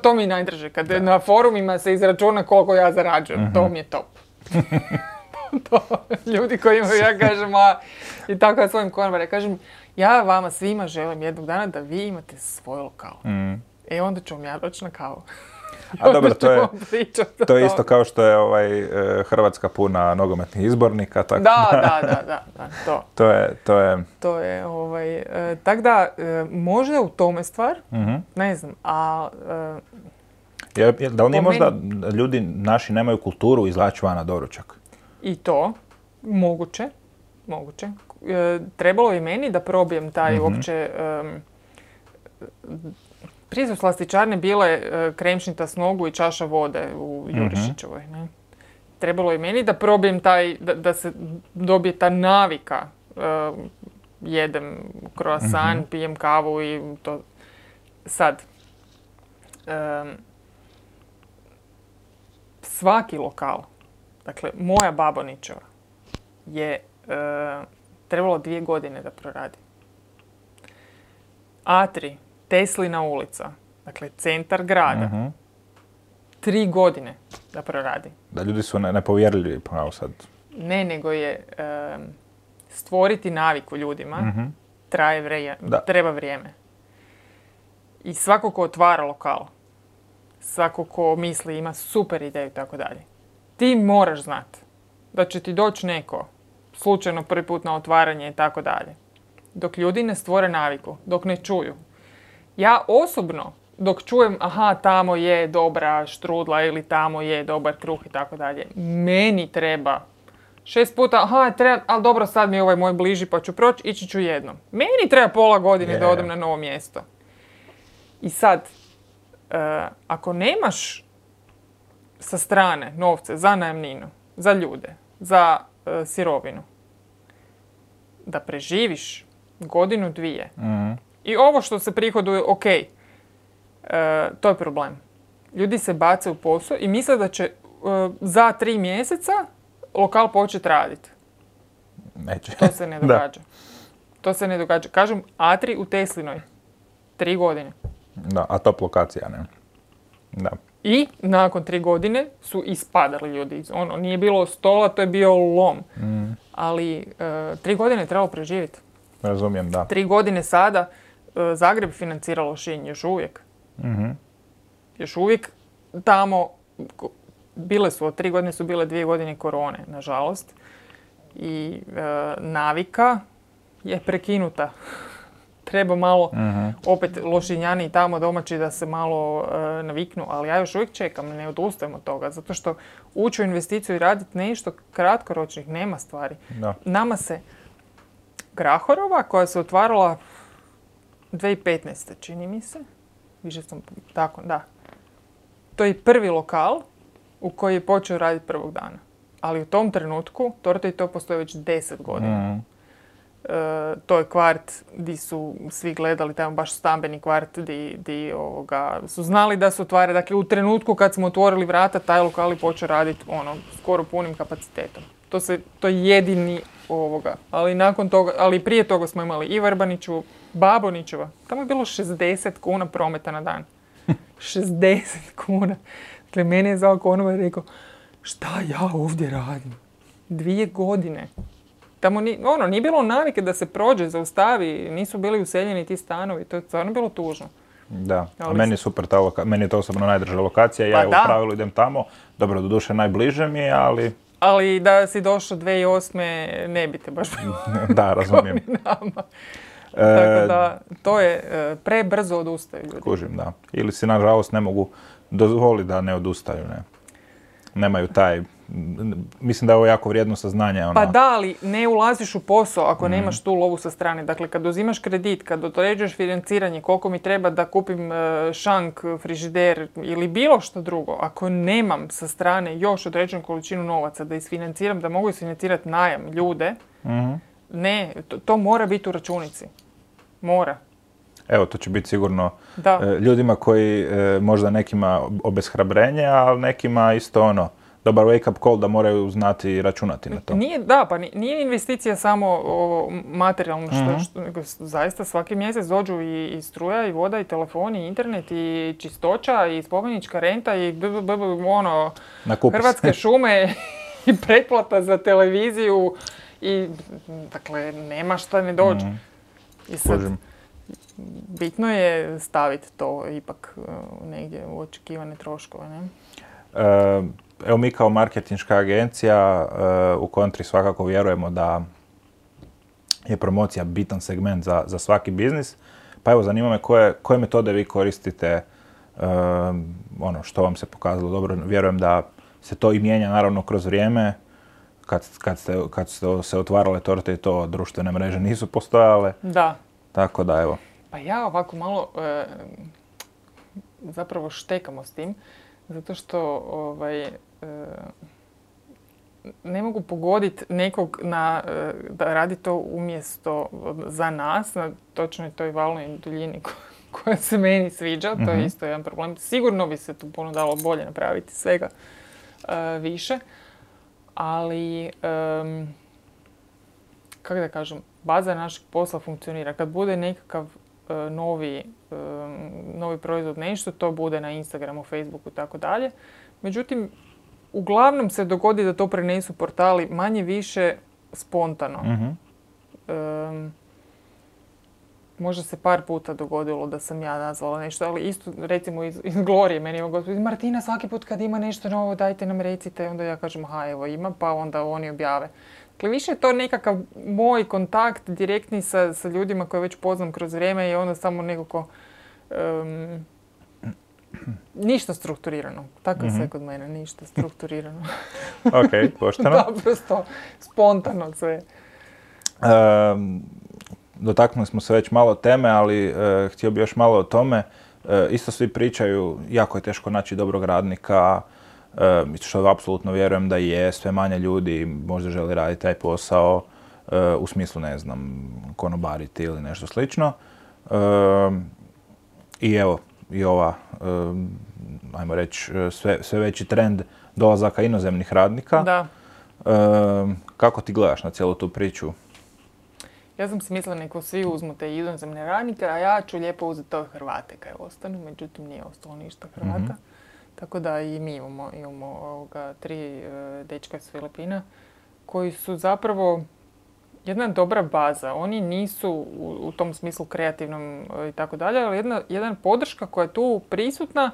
S1: To mi je najdraže. Kad na forumima se izračuna koliko ja zarađujem, to mi je top. Ljudi koji imaju, ja kažem, i tako ja svojim konobare, kažem, ja vama svima želim jednog dana da vi imate svoj lokal. Onda ću vam ja doći na kavu.
S2: A dobro, to je isto kao što je Hrvatska puna nogometnih izbornika. Tako
S1: Da,
S2: to je...
S1: Tako da, možda u tome stvar, ne znam,
S2: da li nije možda ljudi naši nemaju kulturu izlači van na doručak?
S1: I to, moguće. Trebalo je meni da probijem taj uopće... Prije su slastičarne bile kremšnita s nogu i čaša vode u Jurišićevoj. Ne? Trebalo je meni da probijem da se dobije ta navika. Jedem croissant, pijem kavu i to. Sad, svaki lokal, dakle moja Babonićeva, je trebalo 2 godine da proradi. Atri, Teslina ulica, dakle centar grada, 3 godine da proradi.
S2: Da, ljudi su nepovjerljivi pravo sad.
S1: Ne, nego je stvoriti naviku ljudima, treba vrijeme. I svako ko otvara lokal, svako ko misli ima super ideju i tako dalje, ti moraš znati da će ti doći neko slučajno prvi put na otvaranje i tako dalje. Dok ljudi ne stvore naviku, dok ne čuju. Ja osobno dok čujem, aha, tamo je dobra štrudla ili tamo je dobar kruh i tako dalje. Meni treba 6 puta, aha, treba, ali dobro, sad mi je ovaj moj bliži pa ću proći, ići ću jednom. Meni treba pola godine da odem na novo mjesto. I sad, ako nemaš sa strane novce za najamninu, za ljude, za sirovinu, da preživiš godinu, dvije, i ovo što se prihoduje, ok, to je problem. Ljudi se bace u posao i misle da će za 3 mjeseca lokal početi raditi.
S2: Neće.
S1: To se ne događa. To se ne događa. Kažem, Atri u Teslinoj. 3 godine.
S2: Da, a top lokacija, ne? Da.
S1: I nakon 3 godine su ispadali ljudi. Ono, nije bilo stola, to je bio lom. Ali 3 godine je trebalo preživjeti.
S2: Razumijem, da.
S1: 3 godine sada Zagreb financira Lošinj još uvijek. Još uvijek tamo, bile su, od 3 godine su bile 2 godine korone, nažalost. I navika je prekinuta. Treba malo, opet Lošinjani i tamo domaći da se malo naviknu, ali ja još uvijek čekam, ne odustajem od toga, zato što ući u investiciju i raditi nešto kratkoročnih nema stvari.
S2: Da.
S1: Nama se Grahorova, koja se otvarala 2015. čini mi se, više sam tako, da. To je prvi lokal u koji je počeo raditi prvog dana. Ali u tom trenutku, Torte i to postoji već 10 godina. To je kvart gdje su svi gledali, tamo baš stambeni kvart gdje su znali da se otvara. Dakle, u trenutku kad smo otvorili vrata, taj lokal je počeo raditi skoro punim kapacitetom. To je jedini Ali nakon toga, ali prije toga smo imali i Vrbaniću, Babonićeva. Tamo je bilo 60 kuna prometa na dan. 60 kuna. Dakle, mene je zvao konobar i rekao, šta ja ovdje radim? 2 godine. Tamo nije bilo navike da se prođe, zaustavi, nisu bili useljeni ti stanovi, to je stvarno bilo tužno.
S2: Da, a meni je super ta meni je to osobno najdrža lokacija, ja u pravilu idem tamo, dobro, doduše najbliže mi je, ali...
S1: Ali da si došao 2008. ne bi te baš
S2: da, razumijem.
S1: Tako da, to je prebrzo odustaju ljudi.
S2: Kužim, da. Ili si, nažalost, ne mogu dozvoliti da ne odustaju, ne. Nemaju taj... Mislim da je ovo jako vrijedno saznanje.
S1: Pa da, ali ne ulaziš u posao ako nemaš tu lovu sa strane. Dakle, kad uzimaš kredit, kad određuješ financiranje, koliko mi treba da kupim šank, frižider ili bilo što drugo, ako nemam sa strane još određenu količinu novaca da isfinanciram, da mogu isfinancirati najam ljude, ne, to mora biti u računici. Mora.
S2: Evo, to će biti sigurno ljudima koji možda nekima obeshrabrenje, ali nekima isto dobar wake-up call da moraju znati i računati na to.
S1: Nije investicija samo materijalno, nego zaista svaki mjesec dođu i struja, i voda, i telefon, i internet, i čistoća, i spomenička renta, i Hrvatske šume, i pretplata za televiziju, i dakle, nema šta ne dođe. I sad, bitno je staviti to ipak negdje u očekivane troškove, ne?
S2: Evo, mi kao marketinška agencija u Kontri svakako vjerujemo da je promocija bitan segment za svaki biznis. Pa evo, zanima me koje metode vi koristite, što vam se pokazalo dobro. Vjerujem da se to i mijenja naravno kroz vrijeme. Kad ste se otvarale Torte i to, društvene mreže nisu postojale.
S1: Da.
S2: Tako da, evo.
S1: Pa ja ovako malo zapravo štekamo s tim. Zato što ne mogu pogoditi nekog da radi to umjesto za nas, na točnoj toj valnoj duljini koja se meni sviđa. To je isto jedan problem. Sigurno bi se tu puno dalo bolje napraviti, svega više. Ali, kako da kažem, baza našeg posla funkcionira. Kad bude nekakav novi proizvod, nešto, to bude na Instagramu, Facebooku i tako dalje. Međutim, uglavnom se dogodi da to prenesu portali manje više spontano. Možda se par puta dogodilo da sam ja nazvala nešto, ali isto recimo iz Glorije. Meni je gospodin Martina, svaki put kad ima nešto novo, dajte nam recite. Onda ja kažem, evo ima, pa onda oni objave. Dakle, više je to nekakav moj kontakt direktni sa ljudima koje već poznam kroz vrijeme i onda samo nekako Ništa strukturirano. Tako je sve kod mene, ništa strukturirano.
S2: Ok, pošteno.
S1: Naprosto, spontano sve.
S2: Dotaknuli smo se već malo teme, ali htio bi još malo o tome. Isto svi pričaju, jako je teško naći dobrog radnika, što apsolutno vjerujem da je, sve manje ljudi možda želi raditi taj posao, u smislu, ne znam, konobariti ili nešto slično. I evo, i ova, ajmo reći, sve veći trend dolazaka inozemnih radnika.
S1: Da.
S2: Kako ti gledaš na cijelu tu priču?
S1: Ja sam si mislila neko svi uzmu te inozemne radnike, a ja ću lijepo uzeti to Hrvate kaj ostanu, međutim nije ostalo ništa Hrvata. Tako da i mi imamo 3 dečka iz Filipina koji su zapravo jedna dobra baza. Oni nisu u tom smislu kreativnom i tako dalje, ali jedna podrška koja je tu prisutna,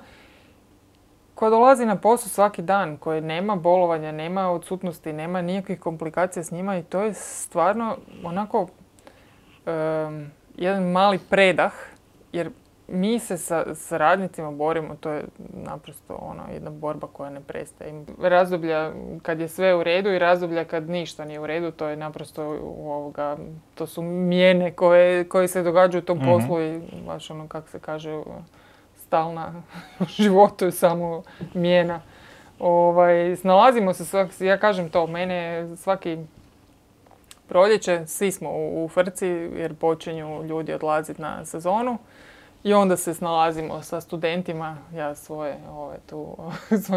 S1: koja dolazi na posao svaki dan, koje nema bolovanja, nema odsutnosti, nema nikakvih komplikacija s njima i to je stvarno onako jedan mali predah, jer mi se sa radnicima borimo, to je naprosto jedna borba koja ne prestaje. Razdoblja kad je sve u redu i razdoblja kad ništa nije u redu, to je naprosto to su mijene koje se događaju u tom poslu i baš kako se kaže, stalna u životu je samo mijena. Snalazimo se, ja kažem to, mene svaki proljeće, svi smo u frci jer počinju ljudi odlaziti na sezonu. I onda se snalazimo sa studentima, ja svoju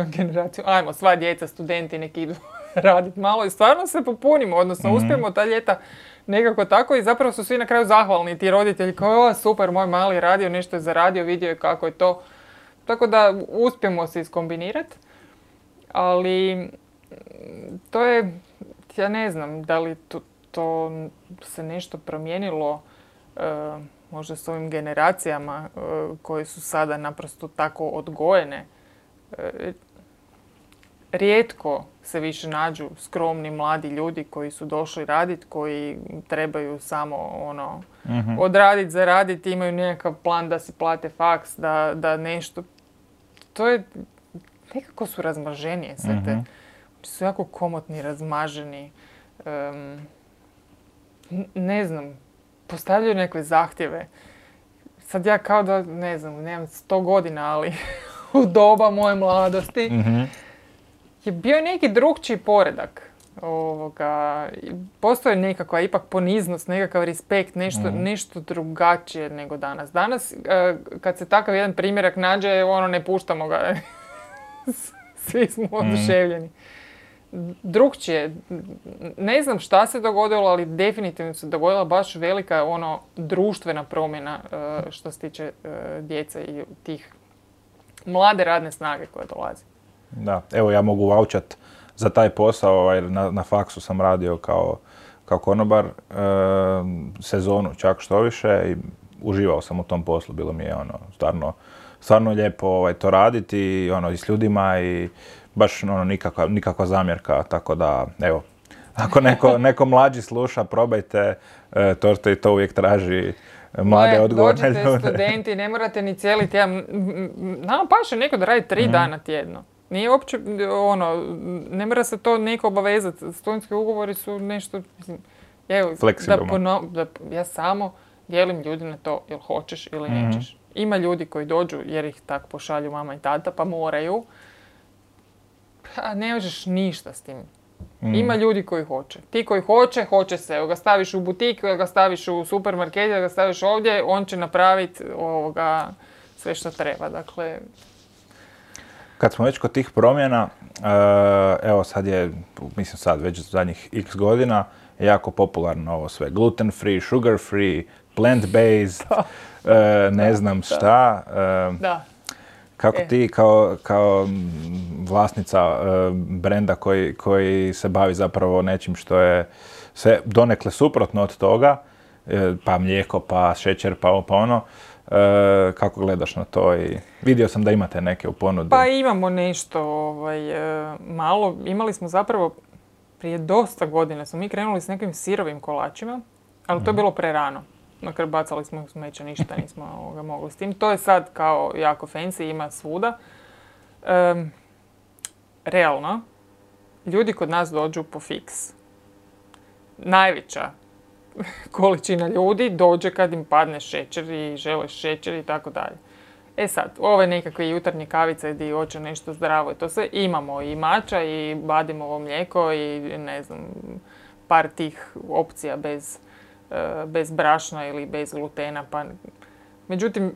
S1: generaciju, ajmo, sva djeca, studenti, neki idu raditi malo i stvarno se popunimo, odnosno uspijemo ta ljeta nekako tako i zapravo su svi na kraju zahvalni, ti roditelji kao, super, moj mali radio, nešto je zaradio, vidio je kako je to. Tako da uspijemo se iskombinirati, ali to je, ja ne znam, da li to se nešto promijenilo, možda s ovim generacijama koje su sada naprosto tako odgojene. Rijetko se više nađu skromni mladi ljudi koji su došli raditi, koji trebaju samo odraditi, zaraditi, imaju nekakav plan da si plate faks, da nešto. To je, nekako su razmaženije sve te. Su jako komotni, razmaženi. Ne znam, postavljaju neke zahtjeve. Sad ja kao da, ne znam, nemam 100 godina, ali u doba moje mladosti je bio neki drugčiji poredak. Postoji nekakva ipak poniznost, nekakav respekt, nešto drugačije nego danas. Danas, kad se takav jedan primjerak nađe, ne puštamo ga. Svi smo oduševljeni. Drugčije. Ne znam šta se dogodilo, ali definitivno se dogodila baš velika društvena promjena što se tiče djece i tih mlade radne snage koje dolazi.
S2: Da, evo ja mogu vaučat za taj posao, na faksu sam radio kao konobar, sezonu čak što više i uživao sam u tom poslu, bilo mi je stvarno lijepo to raditi i s ljudima i baš nikakva zamjerka, tako da evo, ako neko mlađi sluša, probajte, Torte i to uvijek traži mlade odgovorne ljude.
S1: Dođite studenti, ne morate ni cijeli tjedan, nama paše neko da radi 3 dana tjedno. Nije uopće, ne mora se to neko obavezati, studentski ugovori su nešto, evo, ja samo dijelim ljudi na to, jel hoćeš ili nećeš. Ima ljudi koji dođu jer ih tako pošalju mama i tata, pa moraju. Ne možeš ništa s tim. Ima ljudi koji hoće. Ti koji hoće se. Ga staviš u butik, ga staviš u supermarket, ga staviš ovdje, on će napraviti sve što treba. Dakle,
S2: kad smo već kod tih promjena, evo sad već zadnjih x godina je jako popularno ovo sve. Gluten free, sugar free, plant based, ne znam šta.
S1: Da.
S2: Kako ti kao vlasnica brenda koji se bavi zapravo nečim što je sve donekle suprotno od toga, pa mlijeko, pa šećer, pa ono, kako gledaš na to? I vidio sam da imate neke u ponudi.
S1: Pa imamo nešto malo. Imali smo zapravo prije dosta godina, smo mi krenuli s nekim sirovim kolačima, ali to je bilo prerano. Na kraju bacali smo smeće, ništa nismo mogli s tim. To je sad kao jako fancy, ima svuda. Realno, ljudi kod nas dođu po fiks. Najveća količina ljudi dođe kad im padne šećer i žele šećer i tako dalje. E sad, ove nekakve jutarnje kavice gdje hoće nešto zdravo i to sve, imamo i mača i badimovo mlijeko i ne znam, par tih opcija bez brašna ili bez glutena. Međutim,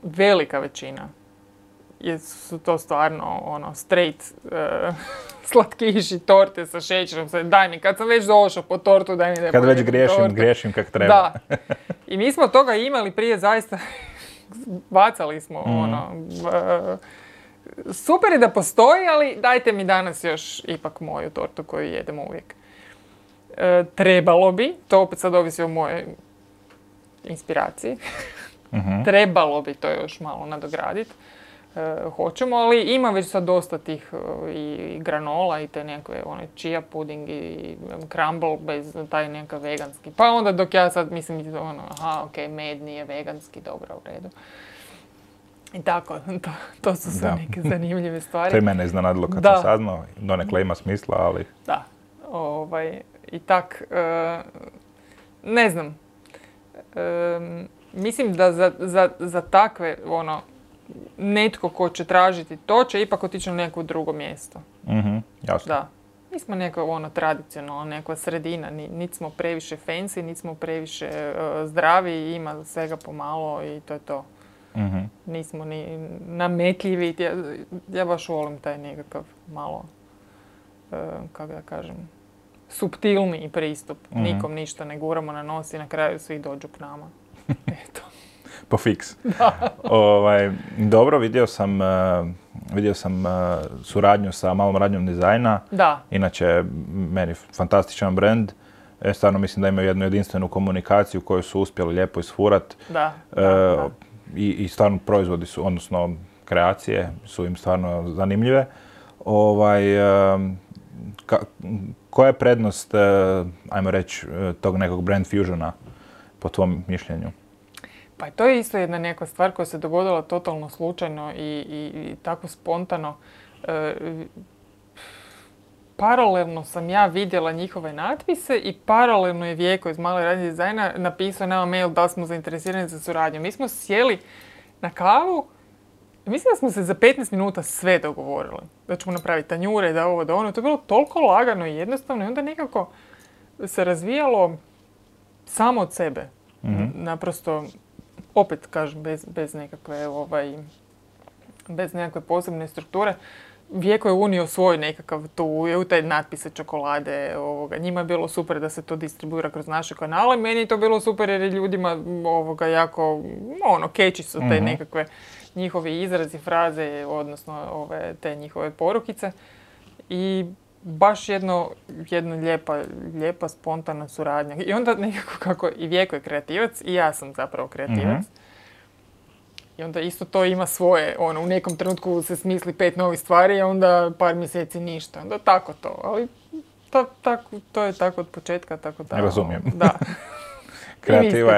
S1: velika većina su to stvarno straight slatkiši, torte sa šećerom. Daj mi, kad sam već došao po tortu, daj mi da
S2: kad već griješim kak treba.
S1: Da. I mi smo toga imali prije zaista, bacali smo super je da postoji, ali dajte mi danas još ipak moju tortu koju jedemo uvijek. Trebalo bi, to opet sad ovisi o mojoj inspiraciji, trebalo bi to još malo nadograditi. Hoćemo, ali ima već sad dosta tih i granola i te nekakve chia pudding i crumble bez taj nekakav veganski. Pa onda dok ja sad mislim, med nije veganski, dobro, u redu. I tako, to su sve neke zanimljive stvari.
S2: To je mene iznenadilo kad sam saznao, donekle ima smisla, ali...
S1: Da, i tak, ne znam, mislim da za takve, netko ko će tražiti to će ipak otići na neko drugo mjesto.
S2: Jasno.
S1: Da. Mi smo neko tradicionalno, neka sredina, niti smo previše fancy, niti smo previše zdravi, ima svega pomalo i to je to. Nismo ni nametljivi. Ja baš volim taj nekakav malo, kako da kažem, suptilniji pristup. Nikom ništa ne guramo na nos i na kraju svi dođu k nama. Eto.
S2: Po fiks. Dobro, vidio sam suradnju sa malom radnjom dizajna.
S1: Da.
S2: Inače, meni fantastičan brand. Stvarno mislim da imaju jednu jedinstvenu komunikaciju koju su uspjeli lijepo isfurat.
S1: Da.
S2: I stvarno proizvodi su, odnosno kreacije su im stvarno zanimljive. Koja je prednost, ajmo reći, tog nekog brand fusiona po tvom mišljenju?
S1: Pa to je isto jedna neka stvar koja se dogodila totalno slučajno i tako spontano. Paralelno sam ja vidjela njihove natpise i paralelno je Vjeko iz Male radnje dizajna napisao nama mail da smo zainteresirani za suradnju. Mi smo sjeli na kavu i mislim da smo se za 15 minuta sve dogovorili. Da ćemo napraviti tanjure, da ovo, da ono. To je bilo toliko lagano i jednostavno i onda nekako se razvijalo samo od sebe. Naprosto, opet kažem, bez nekakve posebne strukture. Vjeko je unio svoj nekakav tu, u taj natpise čokolade. Njima je bilo super da se to distribuira kroz naše kanale. Meni je to bilo super jer je ljudima jako, catchy su te nekakve njihovi izrazi, fraze, odnosno te njihove porukice. I baš jedna lijepa, spontana suradnja. I onda nekako kako i Vjeko je kreativac i ja sam zapravo kreativac. I onda isto to ima svoje, u nekom trenutku se smisli 5 novih stvari, a onda par mjeseci ništa. Onda tako to, ali to je tako od početka, tako da.
S2: Razumijem.
S1: Da.
S2: Kreativa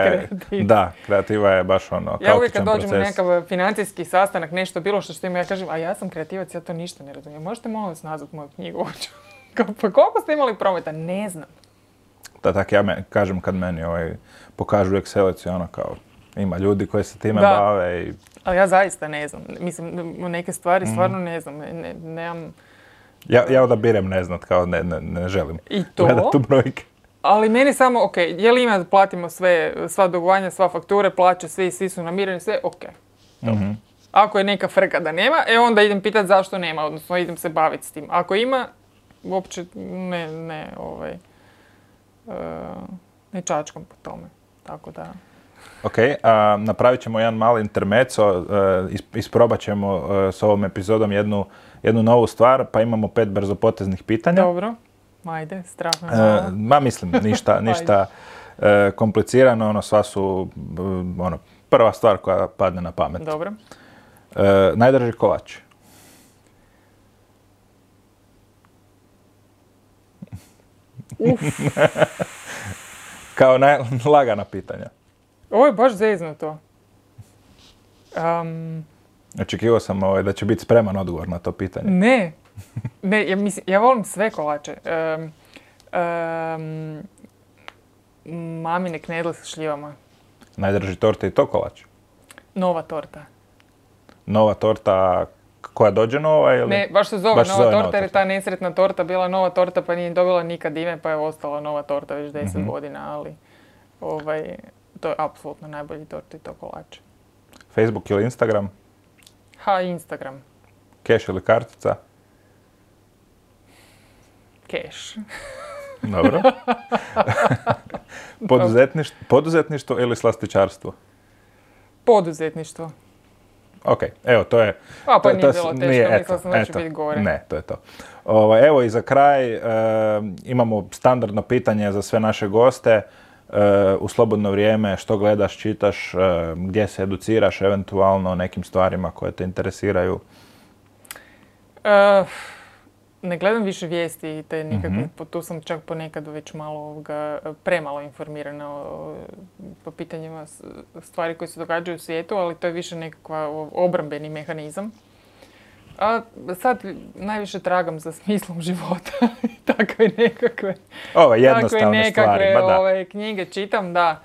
S2: je baš kaotičan proces.
S1: Ja uvijek kad dođem na nekakav financijski sastanak, nešto bilo što ima, ja kažem, a ja sam kreativac, ja to ništa ne razumijem. Možete molim vas nazvati moju knjigu? Pa koliko ste imali prometa? Ne znam.
S2: Da, tako ja kažem kad meni pokažu Excelicu, kao ima ljudi koji se time bave i...
S1: Ali ja zaista ne znam. Mislim, neke stvari stvarno ne znam. Nemam...
S2: Ja odabirem ne znat, kao ne želim.
S1: I to?
S2: Gledat tu brojke.
S1: Ali meni samo, je li ima da platimo sva dugovanja, sva fakture, plaće, svi su namireni, sve, Ako je neka frka da nema, onda idem pitati zašto nema, odnosno idem se baviti s tim. Ako ima, uopće ne čačkam po tome. Tako da...
S2: Ok, napravit ćemo jedan mali intermezzo, isprobat ćemo s ovom epizodom jednu novu stvar, pa imamo 5 brzopoteznih pitanja.
S1: Dobro, ajde, strah me.
S2: Mislim, ništa komplicirano, sva su prva stvar koja padne na pamet.
S1: Dobro.
S2: Najdraži kolač? Kao lagana pitanja.
S1: Ovo je baš zeznuto.
S2: Očekivao sam da će biti spreman odgovor na to pitanje.
S1: Ne, ja volim sve kolače. Mamine knedle sa šljivama.
S2: Najdraži torta i to kolač?
S1: Nova torta.
S2: Nova torta koja dođe nova ili?
S1: Ne, baš se zove nova torta jer je ta nesretna torta bila nova torta pa nije dobila nikad ime pa je ostala nova torta već 10 godina, ali to je apsolutno najbolji torta i to kolač.
S2: Facebook ili Instagram?
S1: Instagram.
S2: Keš ili kartica?
S1: Keš.
S2: Dobro. Poduzetništvo ili slastičarstvo?
S1: Poduzetništvo.
S2: Ok, evo to je...
S1: Pa nije bilo teško, mislila sam da će biti gore.
S2: Ne, to je to. Evo i za kraj imamo standardno pitanje za sve naše goste. U slobodno vrijeme što gledaš, čitaš, gdje se educiraš eventualno o nekim stvarima koje te interesiraju?
S1: Ne gledam više vijesti te nikakve, tu sam čak ponekad već malo premalo informirana po pitanjima stvari koje se događaju u svijetu, ali to je više nekakva obrambeni mehanizam. A sad najviše tragam za smislom života i takve nekakve...
S2: jednostavne stvari,
S1: da. Knjige čitam, da.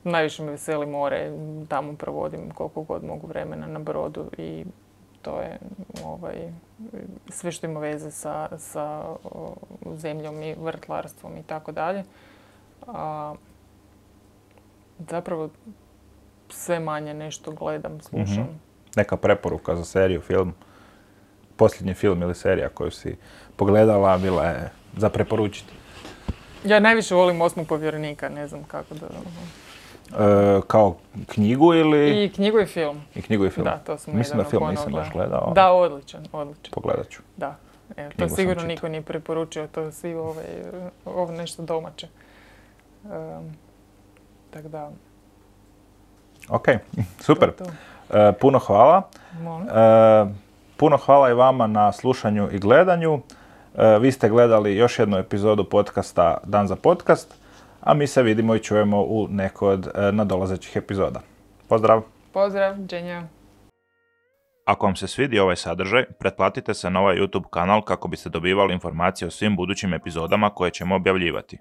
S1: Najviše me veseli more, tamo provodim koliko god mogu vremena na brodu i to je sve što ima veze sa zemljom i vrtlarstvom i tako dalje. Zapravo sve manje nešto gledam, slušam.
S2: Neka preporuka za seriju, film? Posljednji film ili serija koju si pogledala bila je za preporučiti?
S1: Ja najviše volim 8. povjerenika, ne znam kako da...
S2: Kao knjigu ili...
S1: I knjigu i film.
S2: I knjigu i film.
S1: Da, to sam
S2: mislim da film nisam baš gledao.
S1: Da, odličan.
S2: Pogledat ću.
S1: Da, evo, to sigurno niko nije preporučio, to svi ovo nešto domaće. Tako da...
S2: Ok, super. Puno hvala. Puno hvala i vama na slušanju i gledanju. Vi ste gledali još jednu epizodu podcasta Dan za podcast, a mi se vidimo i čujemo u nekoj od nadolazećih epizoda. Pozdrav!
S1: Pozdrav, dženja!
S2: Ako vam se svidi ovaj sadržaj, pretplatite se na ovaj YouTube kanal kako biste dobivali informacije o svim budućim epizodama koje ćemo objavljivati.